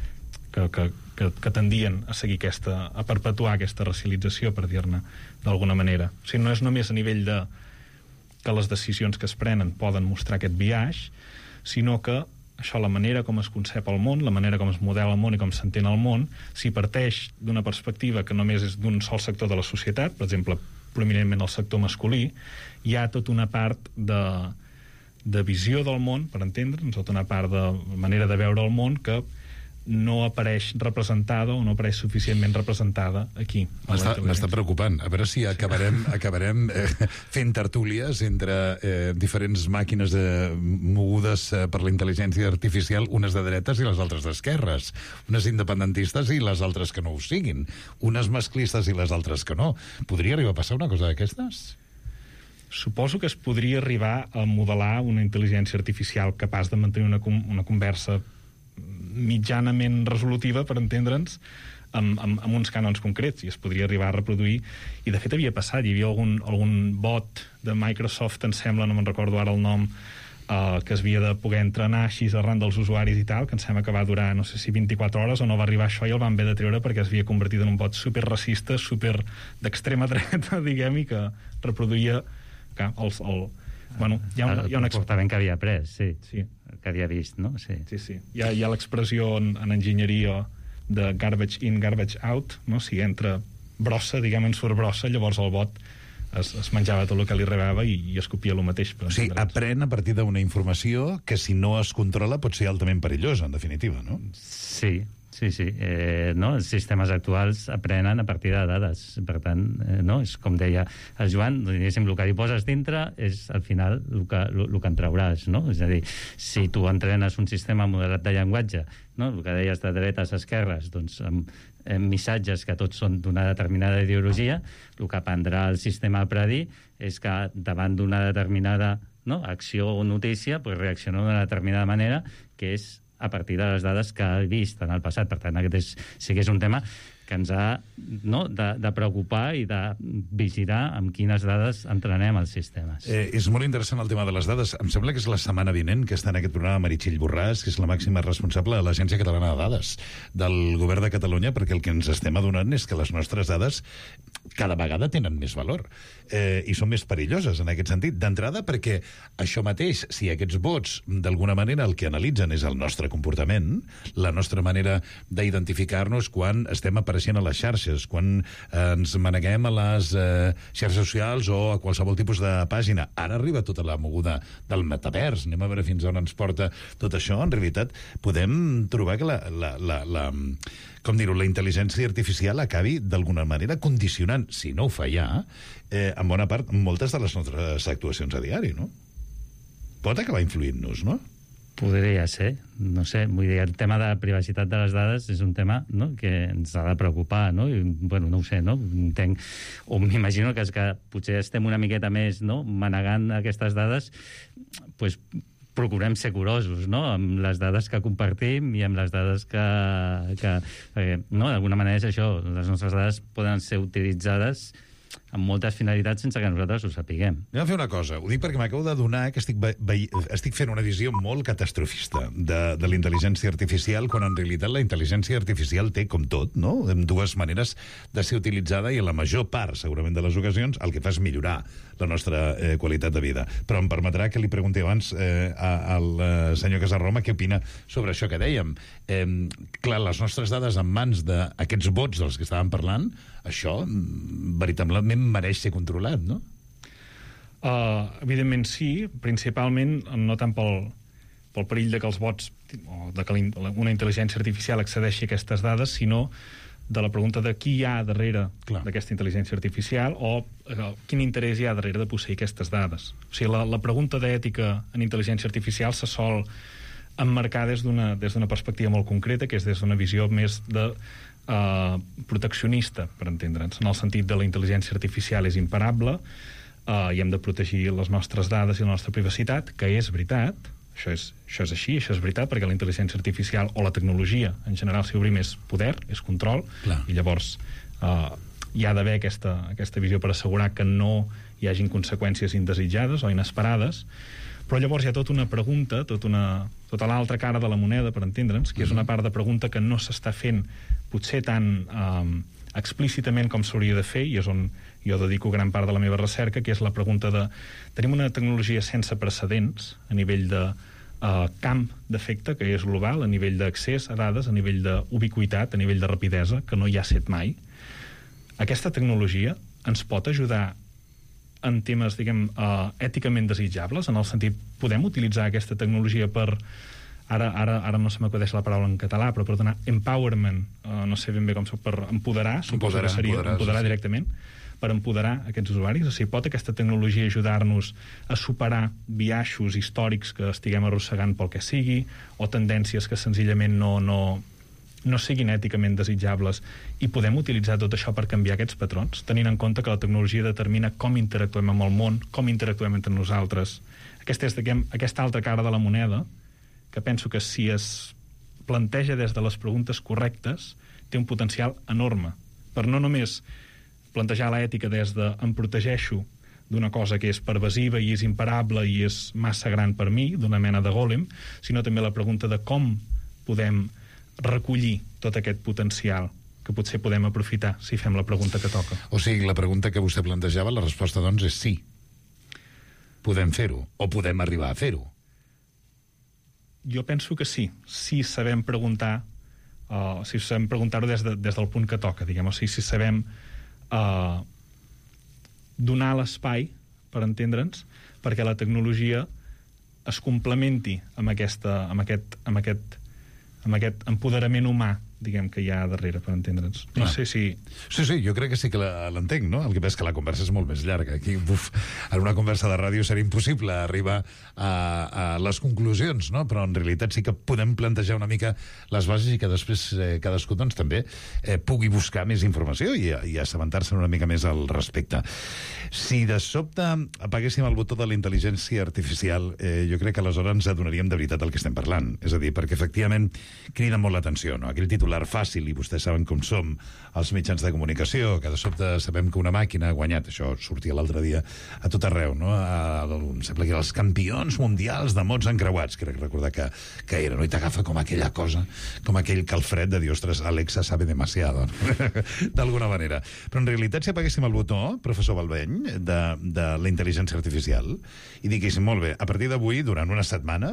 que tendien a seguir a perpetuar aquesta racialització, per dir-ne d'alguna manera. O sigui, no és només a nivell de que les decisions que es prenen poden mostrar aquest biaix, sinó que això, la manera com es concep el món, la manera com es modela el món i com s'entén el món, si parteix d'una perspectiva que només és d'un sol sector de la societat, per exemple, prominentment el sector masculí, hi ha tota una part de visió del món, per entendre'ns, tota una part de manera de veure el món que no apareix representada o no apareix suficientment representada aquí. M'està preocupant. A veure si acabarem fent tertúlies entre diferents màquines mogudes per la intel·ligència artificial, unes de dretes i les altres d'esquerres, unes independentistes i les altres que no ho siguin, unes masclistes i les altres que no. Podria arribar a passar una cosa d'aquestes? Suposo que es podria arribar a modelar una intel·ligència artificial capaç de mantenir una conversa mitjanament resolutiva, per entendre'ns, amb uns cànons concrets, i es podria arribar a reproduir, i de fet havia passat, hi havia algun bot de Microsoft, em sembla, no me'n recordo ara el nom, que es havia de poder entrenar així arran dels usuaris i tal, que em sembla que va durar, no sé si 24 hores o no va arribar això, i el van haver de treure perquè es havia convertit en un bot superracista, super d'extrema dreta, diguem, i que reproduïa hi ha el comportament que havia pres, sí, que havia vist, no? Sí. Hi ha l'expressió en enginyeria de garbage in, garbage out, no? Si entra brossa, diguem, en surt brossa, llavors el bot es menjava tot el que li rebava i es copia el mateix. O sigui, aprèn a partir d'una informació que, si no es controla, pot ser altament perillosa, en definitiva, no? Sí. No? Els sistemes actuals aprenen a partir de dades. Per tant, no? És com deia el Joan, diguéssim, el que hi poses dintre és, al final, el que en trauràs, no? És a dir, si tu entrenes un sistema modelat de llenguatge, no? El que deies de dretes a esquerres, doncs, amb missatges que tots són d'una determinada ideologia, el que aprendrà el sistema a predir és que davant d'una determinada acció o notícia, pues reacciona d'una determinada manera, que és a partir de les dades que ha vist en el passat. Per tant, aquest sí que és un tema que ens ha de preocupar i de vigilar amb quines dades entrenem els sistemes. És molt interessant el tema de les dades. Em sembla que és la setmana vinent que està en aquest programa Meritxell Borràs, que és la màxima responsable de l'Agència Catalana de Dades del Govern de Catalunya, perquè el que ens estem adonant és que les nostres dades cada vegada tenen més valor i són més perilloses en aquest sentit. D'entrada, perquè això mateix, si aquests bots d'alguna manera el que analitzen és el nostre comportament, la nostra manera d'identificar-nos quan estem apareixent a les xarxes, quan ens maneguem a les xarxes socials o a qualsevol tipus de pàgina. Ara arriba tota la moguda del metavers. Anem a veure fins on ens porta tot això. En realitat, podem trobar que la intel·ligència artificial acabi d'alguna manera condicionant, si no ho fa ja, en bona part, moltes de les nostres actuacions a diari, no? Pot acabar influint-nos, no? Podria ser, no sé, vull dir, el tema de la privacitat de les dades és un tema, no?, que ens ha de preocupar, no? I, bueno, no ho sé, no? Entenc, o m'imagino que potser estem una miqueta més, no?, manegant aquestes dades, pues, procurem ser curosos, no?, amb les dades que compartim i amb les dades que no?, d'alguna manera és això, les nostres dades poden ser utilitzades amb moltes finalitats sense que nosaltres ho sapiguem. Anem a fer una cosa. Ho dic perquè m'acabo d'adonar que estic fent una visió molt catastrofista de la intel·ligència artificial, quan en realitat la intel·ligència artificial té, com tot, no?, dues maneres de ser utilitzada, i en la major part, segurament, de les ocasions, el que fa és millorar la nostra qualitat de vida. Però em permetrà que li pregunti abans al senyor Casarroma què opina sobre això que dèiem. Clar, les nostres dades en mans d'aquests bots dels que estàvem parlant, això veritablement mereix ser controlat, no? Evidentment sí, principalment no tant pel perill de que els bots o de que una intel·ligència artificial accedeixi a aquestes dades, sinó de la pregunta de qui hi ha darrere d'aquesta intel·ligència artificial o quin interès hi ha darrere de posseir aquestes dades. O sigui, la pregunta d'ètica en intel·ligència artificial se sol emmarcar des d'una perspectiva molt concreta, que és des d'una visió més de proteccionista, per entendre'ns, en el sentit de la intel·ligència artificial és imparable i hem de protegir les nostres dades i la nostra privacitat, que és veritat, això és així, això és veritat, perquè la intel·ligència artificial o la tecnologia en general, si obrim, és poder, és control, i llavors hi ha d'haver aquesta visió per assegurar que no hi hagin conseqüències indesitjades o inesperades. Però llavors hi ha tota una pregunta, tota l'altra cara de la moneda, per entendre'ns, que és una part de pregunta que no s'està fent potser tan explícitament com s'hauria de fer, i és on jo dedico gran part de la meva recerca, que és la pregunta de... Tenim una tecnologia sense precedents a nivell de camp d'efecte, que és global, a nivell d'accés a dades, a nivell d'ubiquitat, a nivell de rapidesa, que no hi ha set mai. Aquesta tecnologia ens pot ajudar en temes, diguem, èticament desitjables, en el sentit, podem utilitzar aquesta tecnologia per, ara no se m'acudeix la paraula en català, però per donar empowerment, no sé ben bé com per empoderar, suposo que seria empoderar directament, per empoderar aquests usuaris. O sigui, pot aquesta tecnologia ajudar-nos a superar biaixos històrics que estiguem arrossegant pel que sigui, o tendències que senzillament no siguin èticament desitjables, i podem utilitzar tot això per canviar aquests patrons, tenint en compte que la tecnologia determina com interactuem amb el món, com interactuem entre nosaltres. Aquesta és, diguem, aquesta altra cara de la moneda, que penso que si es planteja des de les preguntes correctes, té un potencial enorme, per no només plantejar l'ètica des de em protegeixo d'una cosa que és pervasiva i és imparable i és massa gran per mi, d'una mena de gòlem, sinó també la pregunta de com podem recollir tot aquest potencial que potser podem aprofitar si fem la pregunta que toca. O sigui, la pregunta que vostè plantejava, la resposta, doncs, és sí. Podem fer-ho, o podem arribar a fer-ho. Jo penso que sí. Si sabem preguntar, si sabem preguntar-ho des del punt que toca, diguem, o sigui, si sabem donar l'espai, per entendre'ns, perquè la tecnologia es complementi amb aquest empoderament humà, diguem, que hi ha darrere, per entendre'ns. No sé si... Sí, jo crec que sí que l'entenc, no? El que passa és que la conversa és molt més llarga. Aquí, en una conversa de ràdio seria impossible arribar a les conclusions, no? Però en realitat sí que podem plantejar una mica les bases i que després cadascú, doncs, també pugui buscar més informació i assabentar-se una mica més al respecte. Si de sobte apaguéssim el botó de la intel·ligència artificial, jo crec que aleshores ens adonaríem de veritat el que estem parlant. És a dir, perquè efectivament crida molt l'atenció, no? Aquell titular fàcil, i vostès saben com som els mitjans de comunicació, que de sobte sabem que una màquina ha guanyat, això sortia l'altre dia a tot arreu, no? Em sembla que eren els campions mundials de mots encreuats, crec recordar que era, no? I t'agafa com aquella cosa, com aquell calfred de dir, ostres, Alexa sabe demasiado, no? D'alguna manera. Però en realitat, si apaguéssim el botó, professor Balbeny, de la intel·ligència artificial, i diguéssim, molt bé, a partir d'avui, durant una setmana,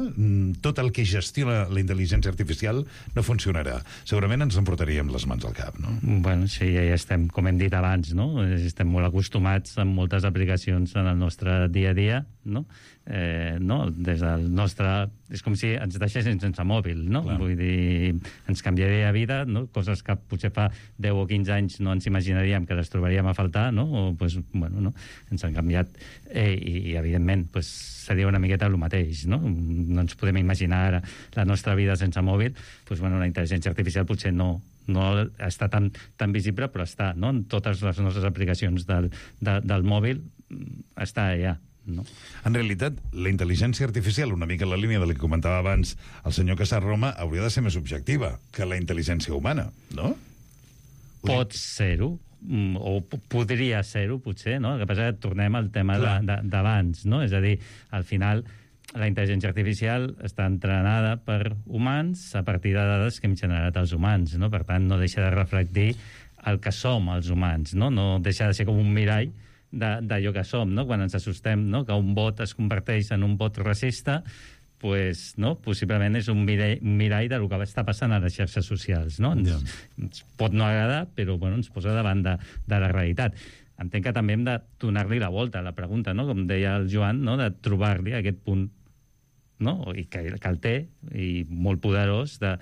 tot el que gestiona la intel·ligència artificial no funcionarà. Segurament ens emportaríem les mans al cap, no? Bueno, sí, ja estem, com hem dit abans, no? Estem molt acostumats amb moltes aplicacions en el nostre dia a dia, no? Des del nostre... És com si ens deixessin sense mòbil, no? Clar. Vull dir, ens canviaria la vida, no? Coses que potser fa 10 o 15 anys no ens imaginaríem que les trobaríem a faltar, no? O, pues, bueno, no? Ens han canviat i evidentment, pues, seria una miqueta el mateix, no? No ens podem imaginar ara la nostra vida sense mòbil, pues, bueno, la intel·ligència artificial potser no està tan visible, però està, no? En totes les nostres aplicacions del mòbil està allà, no? En realitat, la intel·ligència artificial, una mica en la línia del que comentava abans el senyor Casarroma, hauria de ser més objectiva que la intel·ligència humana, no? Pot ser-ho, o podria ser-ho, potser, no? El que passa és que tornem al tema d'abans, no? És a dir, al final, la intel·ligència artificial està entrenada per humans a partir de dades que hem generat els humans, no? Per tant, no deixa de reflectir el que som els humans, no? No deixa de ser com un mirall d'allò que som, no? Quan ens assustem, no? Que un vot es converteix en un vot racista, pues, no? Possiblement és un mirall del que està passant a les xarxes socials, no? Ens pot no agradar, però bueno, ens posa davant de la realitat. Entenc que també hem de donar-li la volta a la pregunta, no? Com deia el Joan, no? De trobar-li aquest punt, no? I que el té, i molt poderós, no?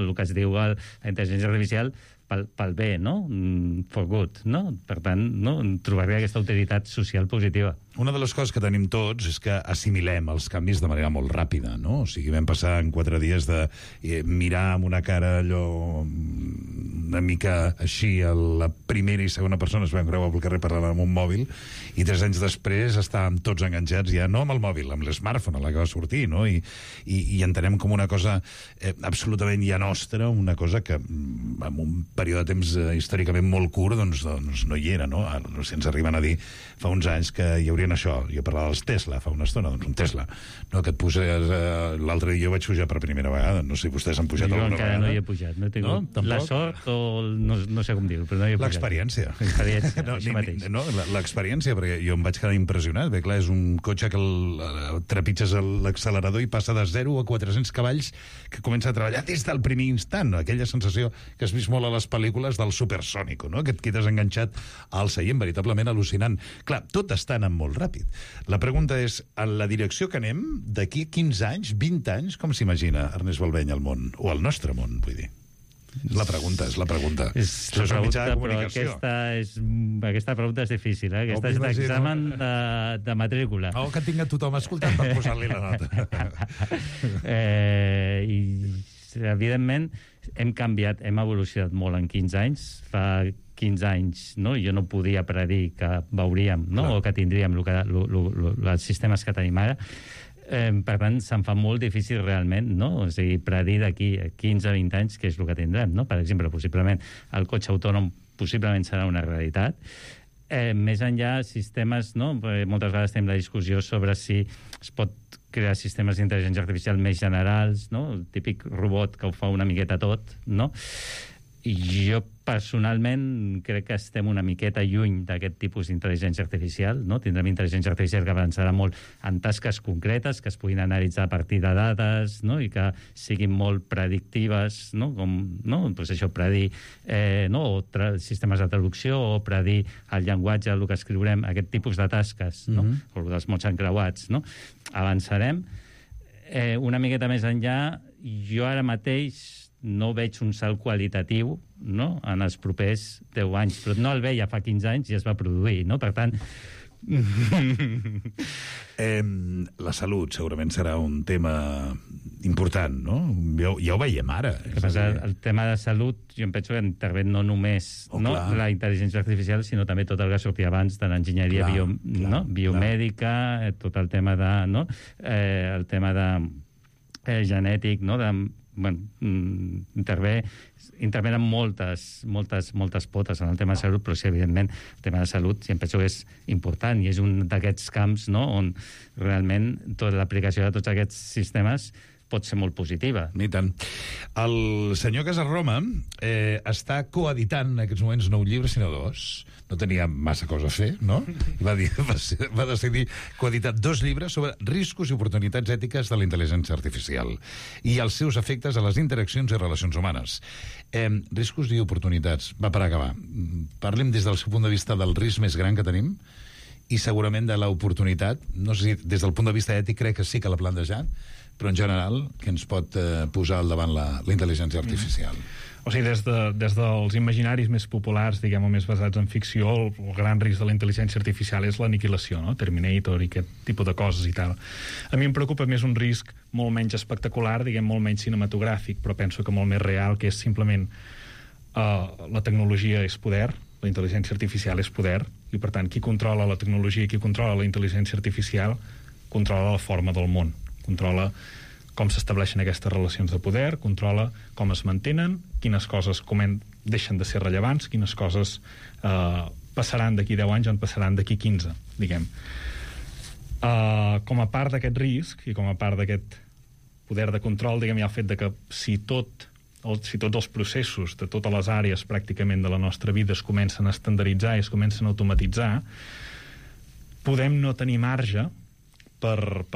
El que es diu la intel·ligència artificial pel bé, no? For good, no? Per tant, no? Trobar-li aquesta utilitat social positiva. Una de les coses que tenim tots és que assimilem els canvis de manera molt ràpida, no? O sigui, vam passar en 4 dies de mirar amb una cara allò una mica així, a la primera i segona persona es vam creuar pel carrer parlant amb un mòbil, i 3 anys després estàvem tots enganxats ja, no amb el mòbil, amb l'smartphone, a la que va sortir, no? I entenem com una cosa absolutament ja nostra, una cosa que en un període de temps històricament molt curt doncs no hi era, no? Si ens arriben a dir fa uns anys que hi haurien això, jo parlava dels Tesla fa una estona, doncs un Tesla, no? Que et poses, l'altre dia jo vaig pujar per primera vegada, no sé si vostès han pujat alguna vegada. Jo encara no hi he pujat, no tinc la sort o no sé com dir-ho, però no hi he pujat. L'experiència. Això mateix. No, l'experiència, perquè jo em vaig quedar impressionat, bé, clar, és un cotxe que trepitges l'accelerador i passa de 0 a 400 cavalls, que comença a treballar des del primer instant, aquella sensació que has vist molt a les pel·lícules del supersònico, no? Que et quedes enganxat al seient, veritablement al·lucinant. Clar, tot està anant molt ràpid. La pregunta és, en la direcció que anem, d'aquí 15 anys, 20 anys, com s'imagina Ernest Balbeny el món? O el nostre món, vull dir. És la pregunta. És la pregunta, però aquesta pregunta és difícil, eh? Aquesta és l'examen de matrícula. Que tinga tothom escoltant per posar-li la nota. I, evidentment, hem canviat, hem evolucionat molt en 15 anys. Fa 15 anys, no? Jo no podia predir que veuríem, no? O que tindríem els sistemes que tenim ara. Per tant, se'n fa molt difícil realment, no? O sigui, predir d'aquí 15-20 anys què és el que tindrem, no? Per exemple, possiblement el cotxe autònom possiblement serà una realitat. Més enllà, sistemes, no? Moltes vegades tenim la discussió sobre si es pot crear sistemes d'intel·ligència artificial més generals, no? El típic robot que ho fa una miqueta tot, no? I jo personalment crec que estem una miqueta lluny d'aquest tipus d'intel·ligència artificial, no? Tindrem intel·ligència artificial que avançarà molt en tasques concretes, que es puguin analitzar a partir de dades, no? I que siguin molt predictives, no? Com, no? Pues això, predir no? Sistemes de traducció o predir el llenguatge, el que escriurem, aquest tipus de tasques, no? O dels mots encreuats, no? Avançarem. Una miqueta més enllà, jo ara mateix no veig un salt qualitatiu, no? En els propers 10 anys, però no el veia fa 15 anys i es va produir, no? Per tant... La salut segurament serà un tema important, no? Ja ho veiem ara. El tema de salut, jo em penso que intervé no només la intel·ligència artificial, sinó també tot el que sortia abans de l'enginyeria biomèdica, tot el tema de... No? El tema de genètic, no? Intervenen moltes potes en el tema de salut, però sí, evidentment, el tema de salut sí, em penso que és important i és un d'aquests camps, no?, on realment tota l'aplicació de tots aquests sistemes pot ser molt positiva. I tant. El senyor Casarroma està coeditant en aquests moments no un llibre, sinó 2. No tenia massa cosa a fer, no? I va decidir coeditar 2 llibres sobre riscos i oportunitats ètiques de la intel·ligència artificial i els seus efectes a les interaccions i relacions humanes. Riscos i oportunitats. Va, per acabar. Parlem des del seu punt de vista del risc més gran que tenim i segurament de l'oportunitat, no sé si des del punt de vista ètic crec que sí que l'ha plantejat, però en general que ens pot posar al davant la intel·ligència artificial. O sigui, des dels imaginaris més populars, diguem, o més basats en ficció, el gran risc de la intel·ligència artificial és l'aniquilació, no? Terminator i aquest tipus de coses i tal. A mi em preocupa més un risc molt menys espectacular, diguem, molt menys cinematogràfic, però penso que molt més real, que és simplement la tecnologia és poder, la intel·ligència artificial és poder, i per tant, qui controla la tecnologia i qui controla la intel·ligència artificial controla la forma del món, controla com s'estableixen aquestes relacions de poder, controla com es mantenen, quines coses deixen de ser rellevants, quines coses passaran d'aquí 10 anys o en passaran d'aquí 15, diguem. Com a part d'aquest risc i com a part d'aquest poder de control, diguem, hi ha el fet de que si tots els processos de totes les àrees pràcticament de la nostra vida es comencen a estandaritzar i es comencen a automatitzar, podem no tenir marge per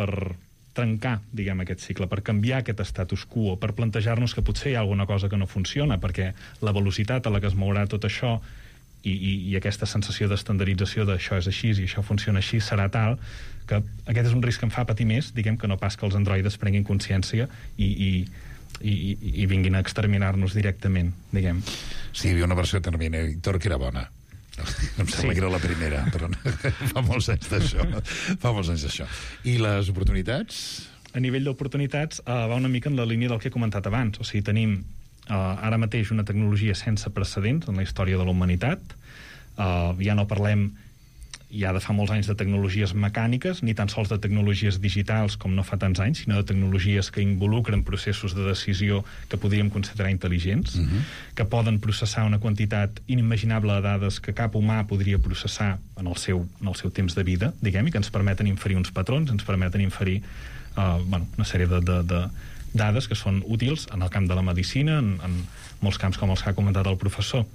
trencar, diguem, aquest cicle, per canviar aquest status quo, per plantejar-nos que potser hi ha alguna cosa que no funciona, perquè la velocitat a la que es mourà tot això i aquesta sensació d'estandardització d'això és així i això funciona així serà tal que aquest és un risc que em fa patir més, diguem, que no pas que els androides prenguin consciència i vinguin a exterminar-nos directament, diguem. Sí, hi havia una versió de Terminator que era bona. Em sembla que era la primera, però fa molts anys d'això. I les oportunitats? A nivell d'oportunitats va una mica en la línia del que he comentat abans. O sigui, tenim ara mateix una tecnologia sense precedents en la història de la humanitat. Ja no parlem ja de fa molts anys de tecnologies mecàniques, ni tan sols de tecnologies digitals com no fa tants anys, sinó de tecnologies que involucren processos de decisió que podríem considerar intel·ligents, que poden processar una quantitat inimaginable de dades que cap humà podria processar en el seu temps de vida, diguem, i que ens permeten inferir uns patrons, ens permeten inferir una sèrie de dades que són útils en el camp de la medicina, en molts camps com els que ha comentat el professor.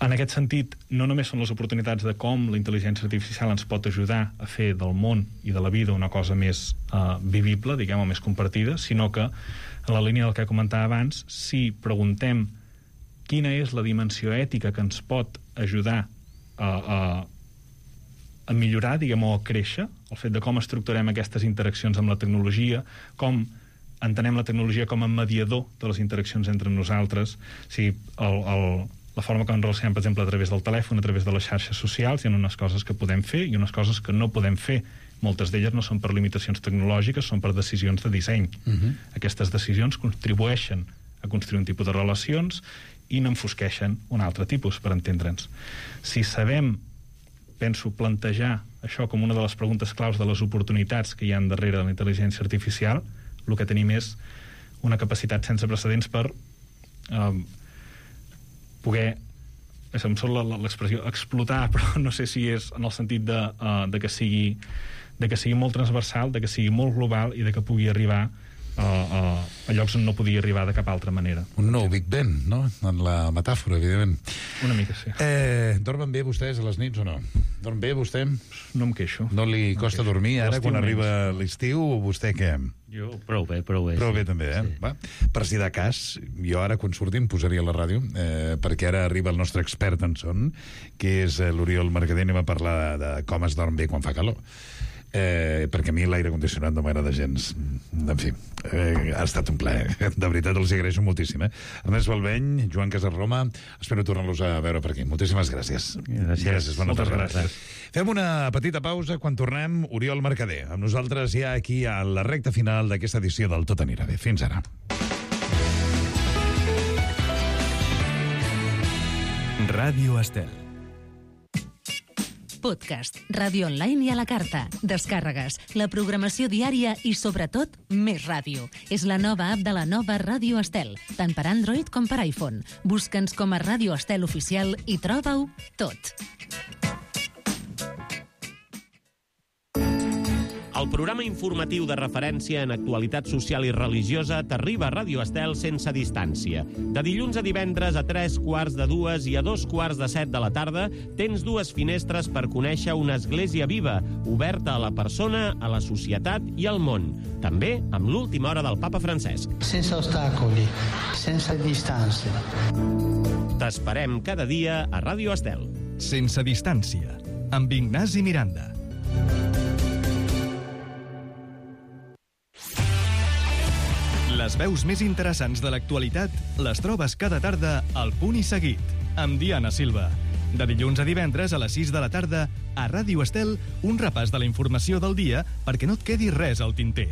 En aquest sentit, no només són les oportunitats de com la intel·ligència artificial ens pot ajudar a fer del món i de la vida una cosa més vivible, diguem, o més compartida, sinó que, en la línia del que comentava abans, si preguntem quina és la dimensió ètica que ens pot ajudar a millorar, diguem, o a créixer, el fet de com estructurem aquestes interaccions amb la tecnologia, com entenem la tecnologia com a mediador de les interaccions entre nosaltres, si la forma com ens relacionem, per exemple, a través del telèfon, a través de les xarxes socials, hi ha unes coses que podem fer i unes coses que no podem fer. Moltes d'elles no són per limitacions tecnològiques, són per decisions de disseny. Aquestes decisions contribueixen a construir un tipus de relacions i n'enfosqueixen un altre tipus, per entendre'ns. Si sabem, penso, plantejar això com una de les preguntes claus de les oportunitats que hi ha darrere de la intel·ligència artificial, el que tenim és una capacitat sense precedents per poder, em surt l'expressió explotar, però no sé si és en el sentit de que sigui molt transversal, de que sigui molt global i de que pugui arribar a llocs on no podia arribar de cap altra manera. Un nou Big Ben, no? En la metàfora, evidentment. Una mica, sí. Dormen bé vostès a les nits o no? Dorm bé vostè? No em queixo. No li costa dormir ara quan arriba l'estiu o vostè què? Jo prou bé. Prou bé també, eh? Sí. Va. Per si de cas, jo ara quan surti em posaria a la ràdio, perquè ara arriba el nostre expert en son, que és l'Oriol Mercader, anem a parlar de com es dorm bé quan fa calor. Perquè a mi l'aire condicionat no m'agrada gens. En fi, ha estat un plaer. De veritat els agraeixo moltíssim. Ernest Balbeny, Joan Casarroma, espero tornar-los a veure per aquí. Moltíssimes gràcies. Gràcies. Moltes gràcies. Fem una petita pausa. Quan tornem, Oriol Mercader amb nosaltres ja aquí a la recta final d'aquesta edició del Tot anirà bé. Fins ara. Ràdio Estel. Podcast, ràdio online i a la carta, descàrregues, la programació diària i, sobretot, més ràdio. És la nova app de la nova Ràdio Estel, tant per Android com per iPhone. Busca'ns com a Ràdio Estel Oficial i troba-ho tot. El programa informatiu de referència en actualitat social i religiosa t'arriba a Ràdio Estel sense distància. De dilluns a divendres a 3:45 i a 2:45 de la tarda tens dues finestres per conèixer una església viva, oberta a la persona, a la societat i al món. També amb l'última hora del papa Francesc. Sense ostacoli, sense distància. T'esperem cada dia a Ràdio Estel. Sense distància. amb Ignasi Miranda. Les veus més interessants de l'actualitat les trobes cada tarda al Punt i Seguit, amb Diana Silva. De dilluns a divendres a les 6 de la tarda, a Ràdio Estel, un repàs de la informació del dia perquè no et quedi res al tinter.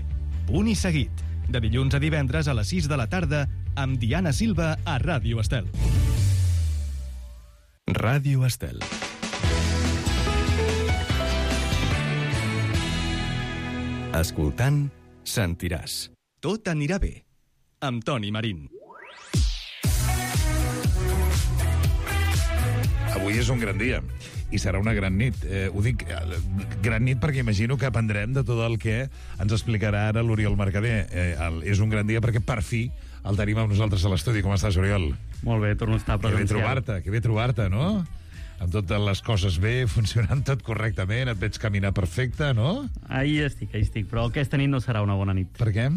Punt i Seguit, de dilluns a divendres a les 6 de la tarda, amb Diana Silva a Ràdio Estel. Ràdio Estel. Escoltant, sentiràs. Tot anirà bé, amb Toni Marín. Avui és un gran dia i serà una gran nit. Ho dic gran nit perquè imagino que aprendrem de tot el que ens explicarà ara l'Oriol Mercader. És un gran dia perquè per fi el tenim amb nosaltres a l'estudi. Com estàs, Oriol? Molt bé, torno a estar presencial. Que bé trobar-te, no? Amb totes les coses bé, funcionant tot correctament, et veig caminar perfecte, no? Ahí estic, però aquesta nit no serà una bona nit. Per què?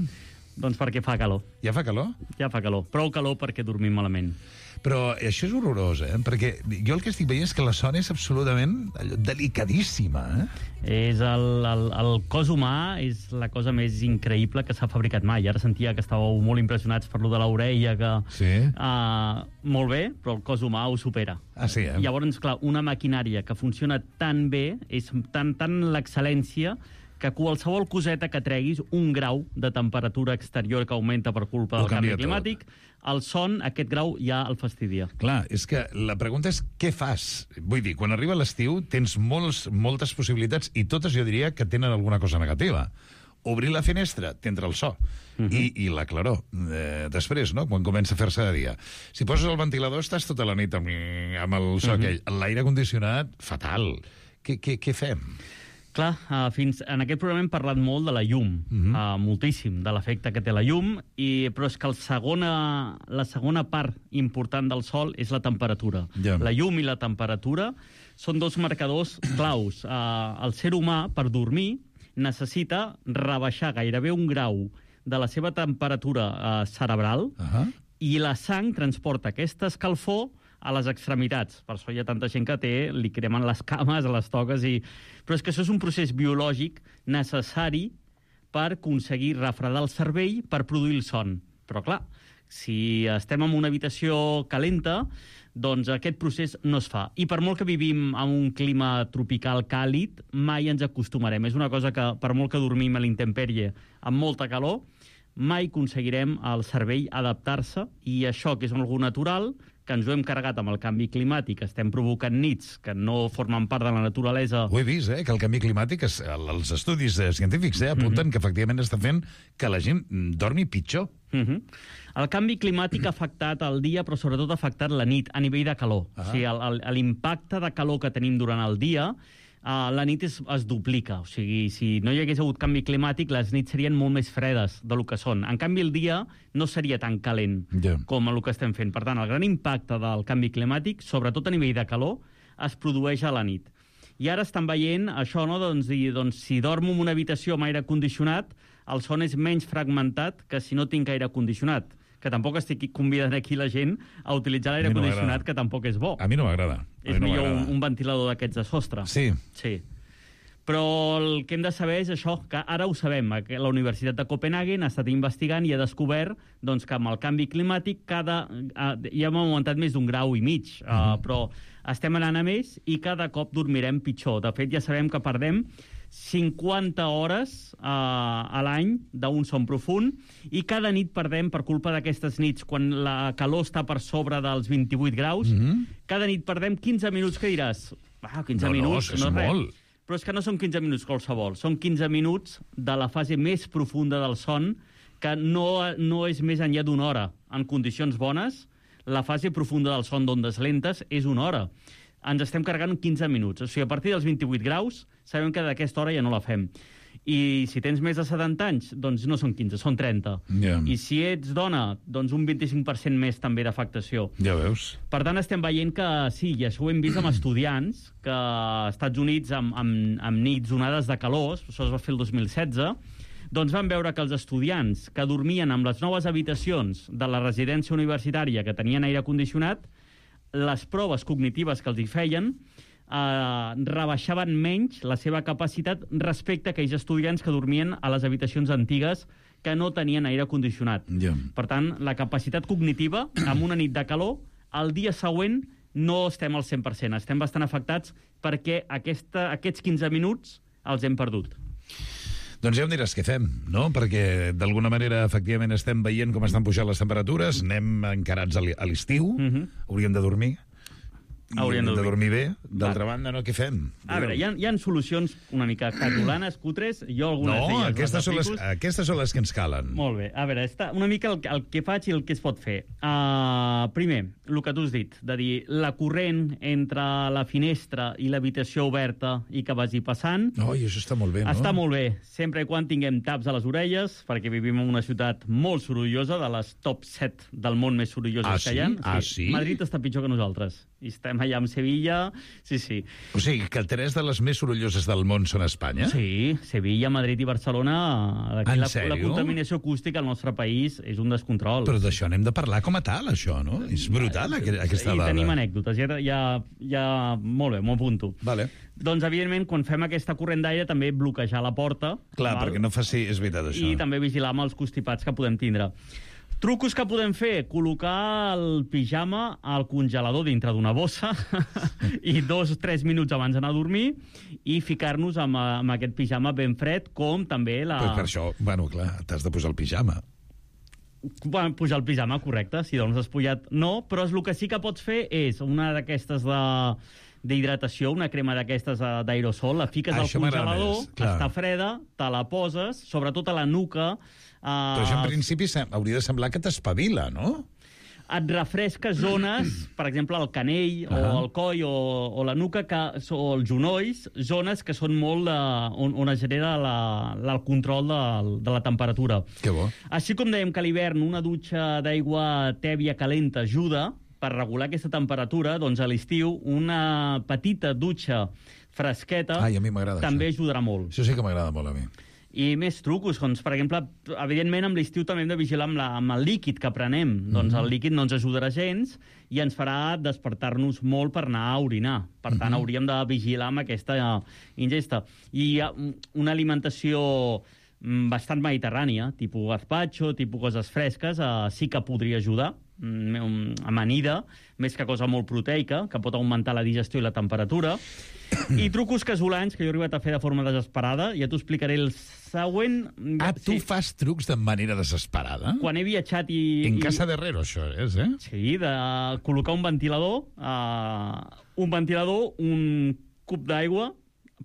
Doncs perquè fa calor. Ja fa calor? Ja fa calor. Prou calor perquè dormim malament. Però això és horrorós, perquè jo el que estic veient és que la son és absolutament delicadíssima. És el cos humà és la cosa més increïble que s'ha fabricat mai. Ara sentia que estàveu molt impressionats per lo de l'orella, que... Sí. Molt bé, però el cos humà ho supera. Ah, sí, Llavors, clar, una maquinària que funciona tan bé, és tan l'excel·lència, que qualsevol coseta que treguis, un grau de temperatura exterior que augmenta per culpa del canvi climàtic, el son, aquest grau, ja el fastidia. Clar, és que la pregunta és què fas? Vull dir, quan arriba l'estiu tens moltes possibilitats i totes jo diria que tenen alguna cosa negativa. Obrir la finestra, t'entra el so. I la claror. Després, no?, quan comença a fer-se de dia. Si poses el ventilador, estàs tota la nit amb el so aquell. L'aire condicionat, fatal. Què fem? Clar, fins en aquest programa hem parlat molt de la llum, moltíssim, de l'efecte que té la llum, però és que la segona part important del sol és la temperatura. Ja. La llum i la temperatura són dos marcadors claus. El ser humà, per dormir, necessita rebaixar gairebé un grau de la seva temperatura cerebral i la sang transporta aquesta escalfor a les extremitats. Per això hi ha tanta gent que li cremen les cames, les toques... Però és que això és un procés biològic necessari per aconseguir refredar el cervell per produir el son. Però clar, si estem en una habitació calenta, doncs aquest procés no es fa. I per molt que vivim en un clima tropical càlid, mai ens acostumarem. És una cosa que, per molt que dormim a l'intempèrie amb molta calor, mai aconseguirem el cervell adaptar-se, i això, que és algo natural, que ens ho hem carregat amb el canvi climàtic, estem provocant nits que no formen part de la naturalesa... Ho he vist, que el canvi climàtic, els estudis científics apunten que efectivament està fent que la gent dormi pitjor. El canvi climàtic ha afectat el dia, però sobretot ha afectat la nit, a nivell de calor. O sigui, l'impacte de calor que tenim durant el dia, la nit es duplica. O sigui, si no hi hagués hagut canvi climàtic, les nits serien molt més fredes del que són. En canvi, el dia no seria tan calent com el que estem fent. Per tant, el gran impacte del canvi climàtic, sobretot a nivell de calor, es produeix a la nit. I ara estan veient això, no? Doncs si dormo en una habitació amb aire condicionat, el son és menys fragmentat que si no tinc aire condicionat. Que tampoc estic convidant aquí la gent a utilitzar l'aire condicionat, que tampoc és bo. A mi no m'agrada. És millor un ventilador d'aquests de sostre. Sí. Però el que hem de saber és això, que ara ho sabem. La Universitat de Copenhagen ha estat investigant i ha descobert doncs, que amb el canvi climàtic ja hem augmentat més d'1,5 graus, però estem anant a més i cada cop dormirem pitjor. De fet, ja sabem que perdem 50 hores a l'any d'un son profund, i cada nit perdem, per culpa d'aquestes nits, quan la calor està per sobre dels 28 graus, cada nit perdem 15 minuts, que diràs, 15 minuts, no és molt. Però és que no són 15 minuts qualsevol, són 15 minuts de la fase més profunda del son, que no és més enllà d'una hora. En condicions bones, la fase profunda del son d'ondes lentes és una hora. Ens estem carregant 15 minuts. O sigui, a partir dels 28 graus, sabem que d'aquesta hora ja no la fem. I si tens més de 70 anys, doncs no són 15, són 30. I si ets dona, doncs un 25% més també d'afectació. Ja veus. Per tant, estem veient que sí, i això ho hem vist amb estudiants, que als Estats Units, amb nits onades de calor, això es va fer el 2016, doncs van veure que els estudiants que dormien amb les noves habitacions de la residència universitària que tenien aire condicionat, les proves cognitives que els hi feien rebaixaven menys la seva capacitat respecte a aquells estudiants que dormien a les habitacions antigues que no tenien aire condicionat. Per tant, la capacitat cognitiva, amb una nit de calor, el dia següent no estem al 100%, estem bastant afectats perquè aquests 15 minuts els hem perdut. Doncs ja em diràs què fem, no? Perquè d'alguna manera, efectivament, estem veient com estan pujant les temperatures, anem encarats a l'estiu, hauríem de dormir. Hauríem de dormir bé. D'altra banda, no, què fem? A veure, hi ha solucions una mica catolanes, cutres, jo algunes d'elles... Aquestes són les que ens calen. Molt bé. A veure, una mica el que faig i el que es pot fer. Primer, el que tu has dit, de dir la corrent entre la finestra i l'habitació oberta i que vagi passant... I això està molt bé, no? Està molt bé, sempre i quan tinguem taps a les orelles, perquè vivim en una ciutat molt sorollosa, de les top 7 del món més sorolloses que hi ha. Sí? Madrid està pitjor que nosaltres. I estem allà amb Sevilla, sí. O sigui, que 3 de les més sorolloses del món són a Espanya? Sí, Sevilla, Madrid i Barcelona. En sèrio? La contaminació acústica al nostre país és un descontrol. Però d'això n'hem de parlar com a tal, això, no? És brutal, aquesta dada. I tenim anècdotes, molt bé, m'ho apunto. Vale. Doncs, evidentment, quan fem aquesta corrent d'aire, també bloquejar la porta. Clar, perquè no faci... És veritat, això. I també vigilar amb els constipats que podem tindre. Trucos que podem fer, col·locar el pijama al congelador dintre d'una bossa i 2 o 3 minuts abans d'anar a dormir i ficar-nos amb aquest pijama ben fred, com també la... Però per això, clar, t'has de posar el pijama. Pujar el pijama, correcte. Si doncs has pujat, no. Però el que sí que pots fer és una d'aquestes d'hidratació, una crema d'aquestes d'aerosol, la fiques al congelador, està freda, te la poses, sobretot a la nuca... Però això en principi hauria de semblar que t'espavila, no? Et refresca zones, per exemple, el canell, o el coll, o la nuca, o els genolls, zones que són molt on es genera el control de la temperatura. Que bo. Així com dèiem que a l'hivern una dutxa d'aigua tèbia calenta ajuda per regular aquesta temperatura, doncs a l'estiu una petita dutxa fresqueta a mi m'agrada també ajudarà molt. Això sí que m'agrada molt a mi. I més trucos, doncs, per exemple, evidentment amb l'estiu també hem de vigilar amb el líquid que prenem. Doncs el líquid no ens ajudarà gens i ens farà despertar-nos molt per anar a orinar. Per tant, hauríem de vigilar amb aquesta ingesta. I una alimentació bastant mediterrània, tipus gazpacho, tipus coses fresques, sí que podria ajudar, amanida, més que cosa molt proteica, que pot augmentar la digestió i la temperatura. I trucos casolans que jo he arribat a fer de forma desesperada. Ja t'ho explicaré el següent. Tu fas trucs de manera desesperada? Quan he viatjat i... En casa de Herrero, això és, eh? Sí, de col·locar un ventilador, un cub d'aigua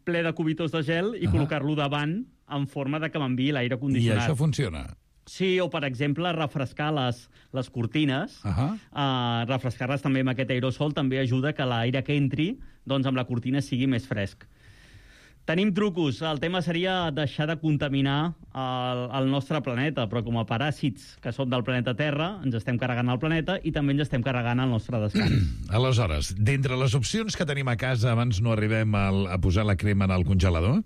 ple de cubitors de gel i col·locar-lo davant en forma de que m'enviï l'aire condicionat. I això funciona? Sí, o, per exemple, refrescar les cortines. Refrescar-les també amb aquest aerosol també ajuda que l'aire que entri doncs amb la cortina sigui més fresc. Tenim trucos. El tema seria deixar de contaminar el nostre planeta, però com a paràsits que són del planeta Terra, ens estem carregant el planeta i també ens estem carregant el nostre descans. Aleshores, d'entre les opcions que tenim a casa abans no arribem a posar la crema en el congelador,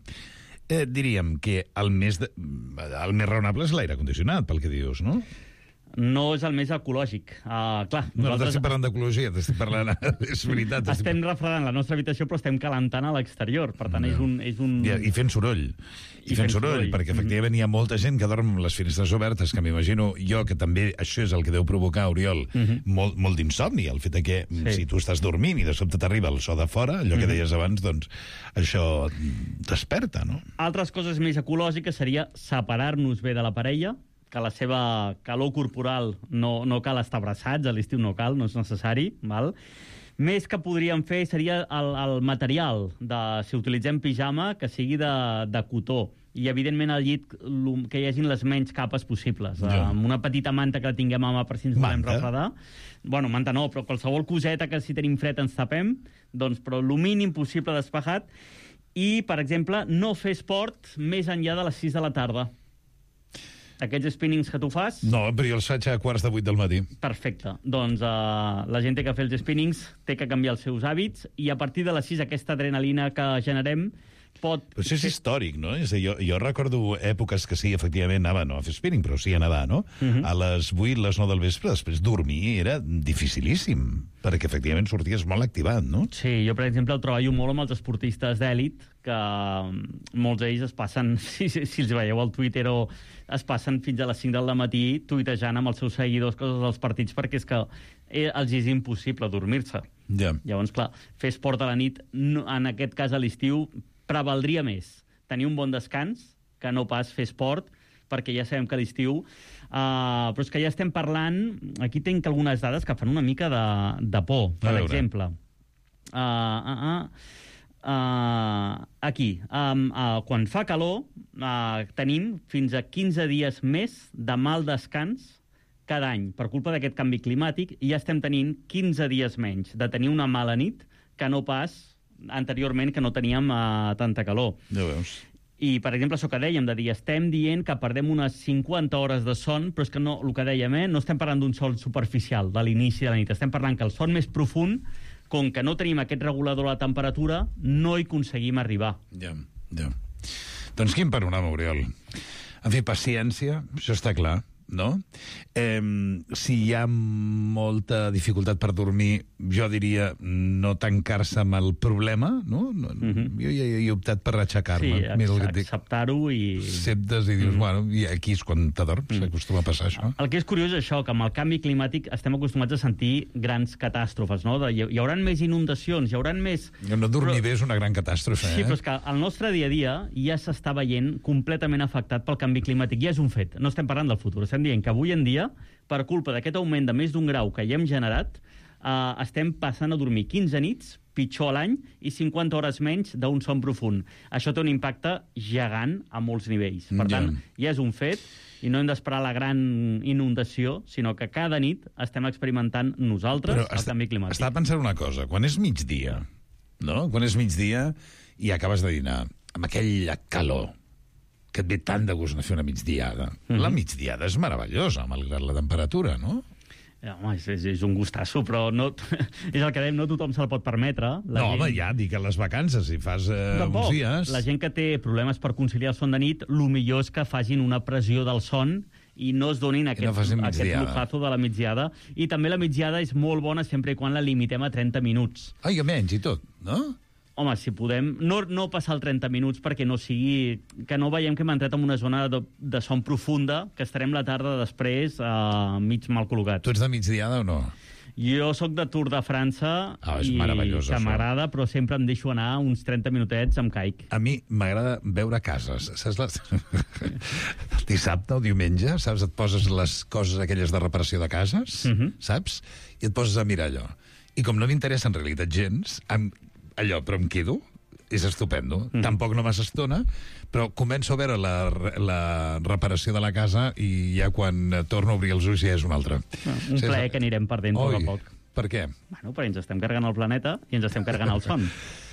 diríem que el més raonable és l'aire condicionat, pel que dius, no? No és el més ecològic. Clar, no t'estic parlant d'ecologia, t'estic parlant... És veritat. Estem refredant la nostra habitació, però estem calentant a l'exterior. Per tant, és un... I fent soroll. I fent soroll, perquè efectivament hi ha molta gent que dorm amb les finestres obertes, que m'imagino jo que també això és el que deu provocar, Oriol, molt d'insomni, el fet que si tu estàs dormint i de sobte t'arriba el so de fora, allò que deies abans, doncs això desperta, no? Altres coses més ecològiques seria separar-nos bé de la parella, que la seva calor corporal no cal estar abraçats, a l'estiu no cal, no és necessari, val? Més que podríem fer seria el material, si utilitzem pijama, que sigui de cotó. I, evidentment, al llit que hi hagin les menys capes possibles. Amb una petita manta que la tinguem a mà per si ens volem refredar. Bueno, manta no, però qualsevol coseta que si tenim fred ens tapem, doncs, però el mínim possible despejat. I, per exemple, no fer esport més enllà de les 6 de la tarda. Aquests spinnings que tu fas... No, però jo els faig a 7:45 del matí. Perfecte. Doncs la gent té que fer els spinnings, té que canviar els seus hàbits, i a partir de les 6 aquesta adrenalina que generem Però això és històric, no? És a dir, jo recordo èpoques que sí, efectivament, anava no a fer spinning, però sí a nedar, no? A les 8, les 9 del vespre, després dormir era dificilíssim, perquè efectivament sorties molt activat, no? Sí, jo, per exemple, el treballo molt amb els esportistes d'èlit, que molts d'ells es passen, si els veieu al Twitter, o es passen fins a les 5 del matí tuitejant amb els seus seguidors coses dels partits, perquè és que els és impossible dormir-se. Llavors, clar, fer esport a la nit, en aquest cas a l'estiu, prevaldria més tenir un bon descans que no pas fer esport, perquè ja sabem que a l'estiu... però és que ja estem parlant... Aquí tinc algunes dades que fan una mica de por. Per exemple, aquí, quan fa calor, tenim fins a 15 dies més de mal descans cada any. Per culpa d'aquest canvi climàtic, ja estem tenint 15 dies menys de tenir una mala nit que no pas anteriorment, que no teníem tanta calor. Ja veus. I, per exemple, això que dèiem, de dir, estem dient que perdem unes 50 hores de son, però és que no, el que dèiem, no estem parlant d'un son superficial de l'inici de la nit, estem parlant que el son més profund, com que no tenim aquest regulador de la temperatura, no hi aconseguim arribar. Ja. Doncs quin panorama, Oriol. En fi, paciència, això està clar, no? Si hi ha molta dificultat per dormir, jo diria no tancar-se amb el problema, no? Jo ja he optat per aixecar-me. Sí, acceptar-ho i... Acceptes i dius, bueno, i aquí és quan t'adorms, s'acostuma a passar això. El que és curiós és això, que amb el canvi climàtic estem acostumats a sentir grans catàstrofes, no? Hi haurà més inundacions, hi haurà més... No dormir bé és una gran catàstrofe, Sí, però és que el nostre dia a dia ja s'està veient completament afectat pel canvi climàtic. Ja és un fet. No estem parlant del futur, estem dient que avui en dia, per culpa d'aquest augment de més d'un grau que ja hem generat, estem passant a dormir 15 nits, pitjor a l'any, i 50 hores menys d'un son profund. Això té un impacte gegant a molts nivells. Per tant, ja és un fet, i no hem d'esperar la gran inundació, sinó que cada nit estem experimentant nosaltres el canvi climàtic. Estava pensant una cosa, quan és migdia, no? Quan és migdia i acabes de dinar, amb aquella calor, que et ve tant de gust de fer una migdiada. La migdiada és meravellosa, malgrat la temperatura, no? Home, és un gustasso, però no, és el que dèiem, no tothom se'l pot permetre. Home, ja, dic que les vacances, si fas uns dies... La gent que té problemes per conciliar el son de nit, el millor és que facin una pressió del son i no es donin aquest lujazo de la migdiada. I també la migdiada és molt bona sempre i quan la limitem a 30 minuts. Ai, menys i tot, no? Home, si podem, no passar el 30 minuts perquè no sigui... que no veiem que hem entrat en una zona de son profunda, que estarem la tarda després mig mal col·locat. Tu ets de migdiada o no? Jo sóc de Tour de França i que m'agrada, però sempre em deixo anar uns 30 minutets amb caic. A mi m'agrada veure cases. Saps el dissabte o diumenge, saps? Et poses les coses aquelles de reparació de cases, saps? I et poses a mirar allò. I com no m'interessa en realitat gens, però em quedo, és estupendo. Tampoc no massa estona, però començo a veure la reparació de la casa i ja quan torno a obrir els ulls ja és una altra. Un plaer que anirem perdent poc a poc. Per què? Bueno, perquè ens estem carregant el planeta i ens estem carregant el son.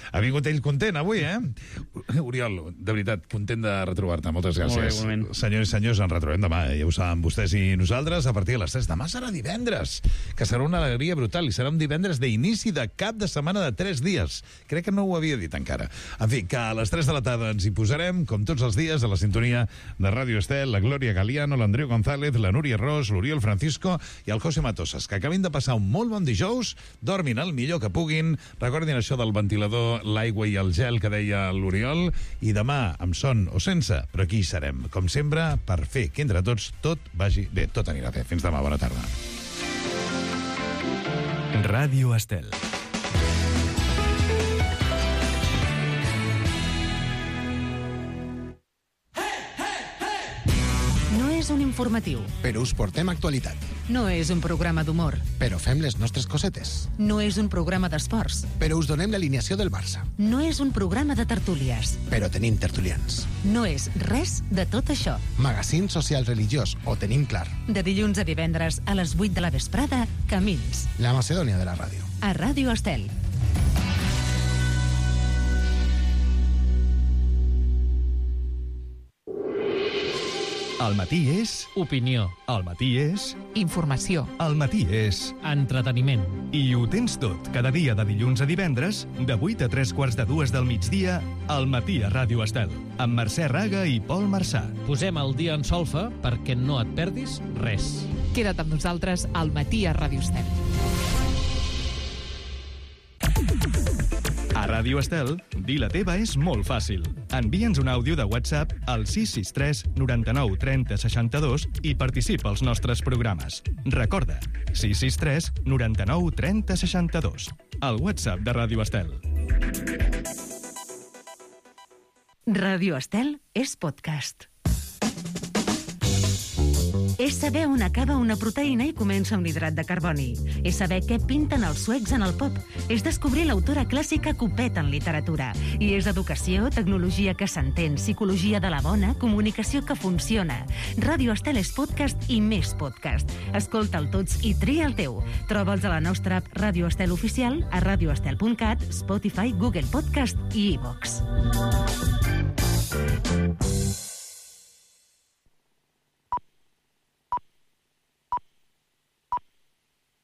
Ha vingut ell content avui, Oriol, de veritat, content de retrobar-te. Moltes gràcies. Senyors i senyors, ens retrobem demà. Ja ho saben vostès i nosaltres a partir de les 3. Demà serà divendres, que serà una alegria brutal, i serà un divendres d'inici de cap de setmana de 3 dies. Crec que no ho havia dit encara. En fi, que a les 3 de la tarda ens hi posarem, com tots els dies, a la sintonia de Ràdio Estel, la Glòria Galiano, l'Andreu González, la Núria Ros, l'Oriol Francisco i el José Matosas, que acabin de passar un molt bon dijous, dormin el millor que puguin, recordin això del ventilador, l'aigua i el gel que deia l'Oriol, i demà, amb son o sense, però aquí serem, com sempre, per fer que entre tots tot vagi bé, tot anirà bé. Fins demà, bona tarda. Ràdio Estel. No és un informatiu. Però us portem actualitat. No és un programa d'humor. Però fem les nostres cosetes. No és un programa d'esports. Però us donem l'alineació del Barça. No és un programa de tertúlies. Però tenim tertulians. No és res de tot això. Magazín social religiós, ho tenim clar. De dilluns a divendres a les 8 de la vesprada, Camins. La Macedònia de la ràdio. A Ràdio Estel. El matí és... Opinió. El matí és... Informació. El matí és... Entreteniment. I ho tens tot, cada dia de dilluns a divendres, de 8 a 3:45 del migdia, al matí a Ràdio Estel, amb Mercè Raga i Pol Marçà. Posem el dia en solfa perquè no et perdis res. Queda't amb nosaltres al matí a Ràdio Estel. A Ràdio Estel, dir la teva és molt fàcil. Envia'ns un àudio de WhatsApp al 663 99 30 62 i participa als nostres programes. Recorda, 663 99 30 62. El WhatsApp de Ràdio Estel. Ràdio Estel és podcast. És saber on acaba una proteïna i comença un hidrat de carboni. És saber què pinten els suecs en el pop. És descobrir l'autora clàssica que ho peta en literatura. I és educació, tecnologia que s'entén, psicologia de la bona, comunicació que funciona. Ràdio Estel és podcast i més podcast. Escolta'l tots i tria el teu. Troba'ls a la nostra app Ràdio Estel Oficial, a radioestel.cat, Spotify, Google Podcast i iVox.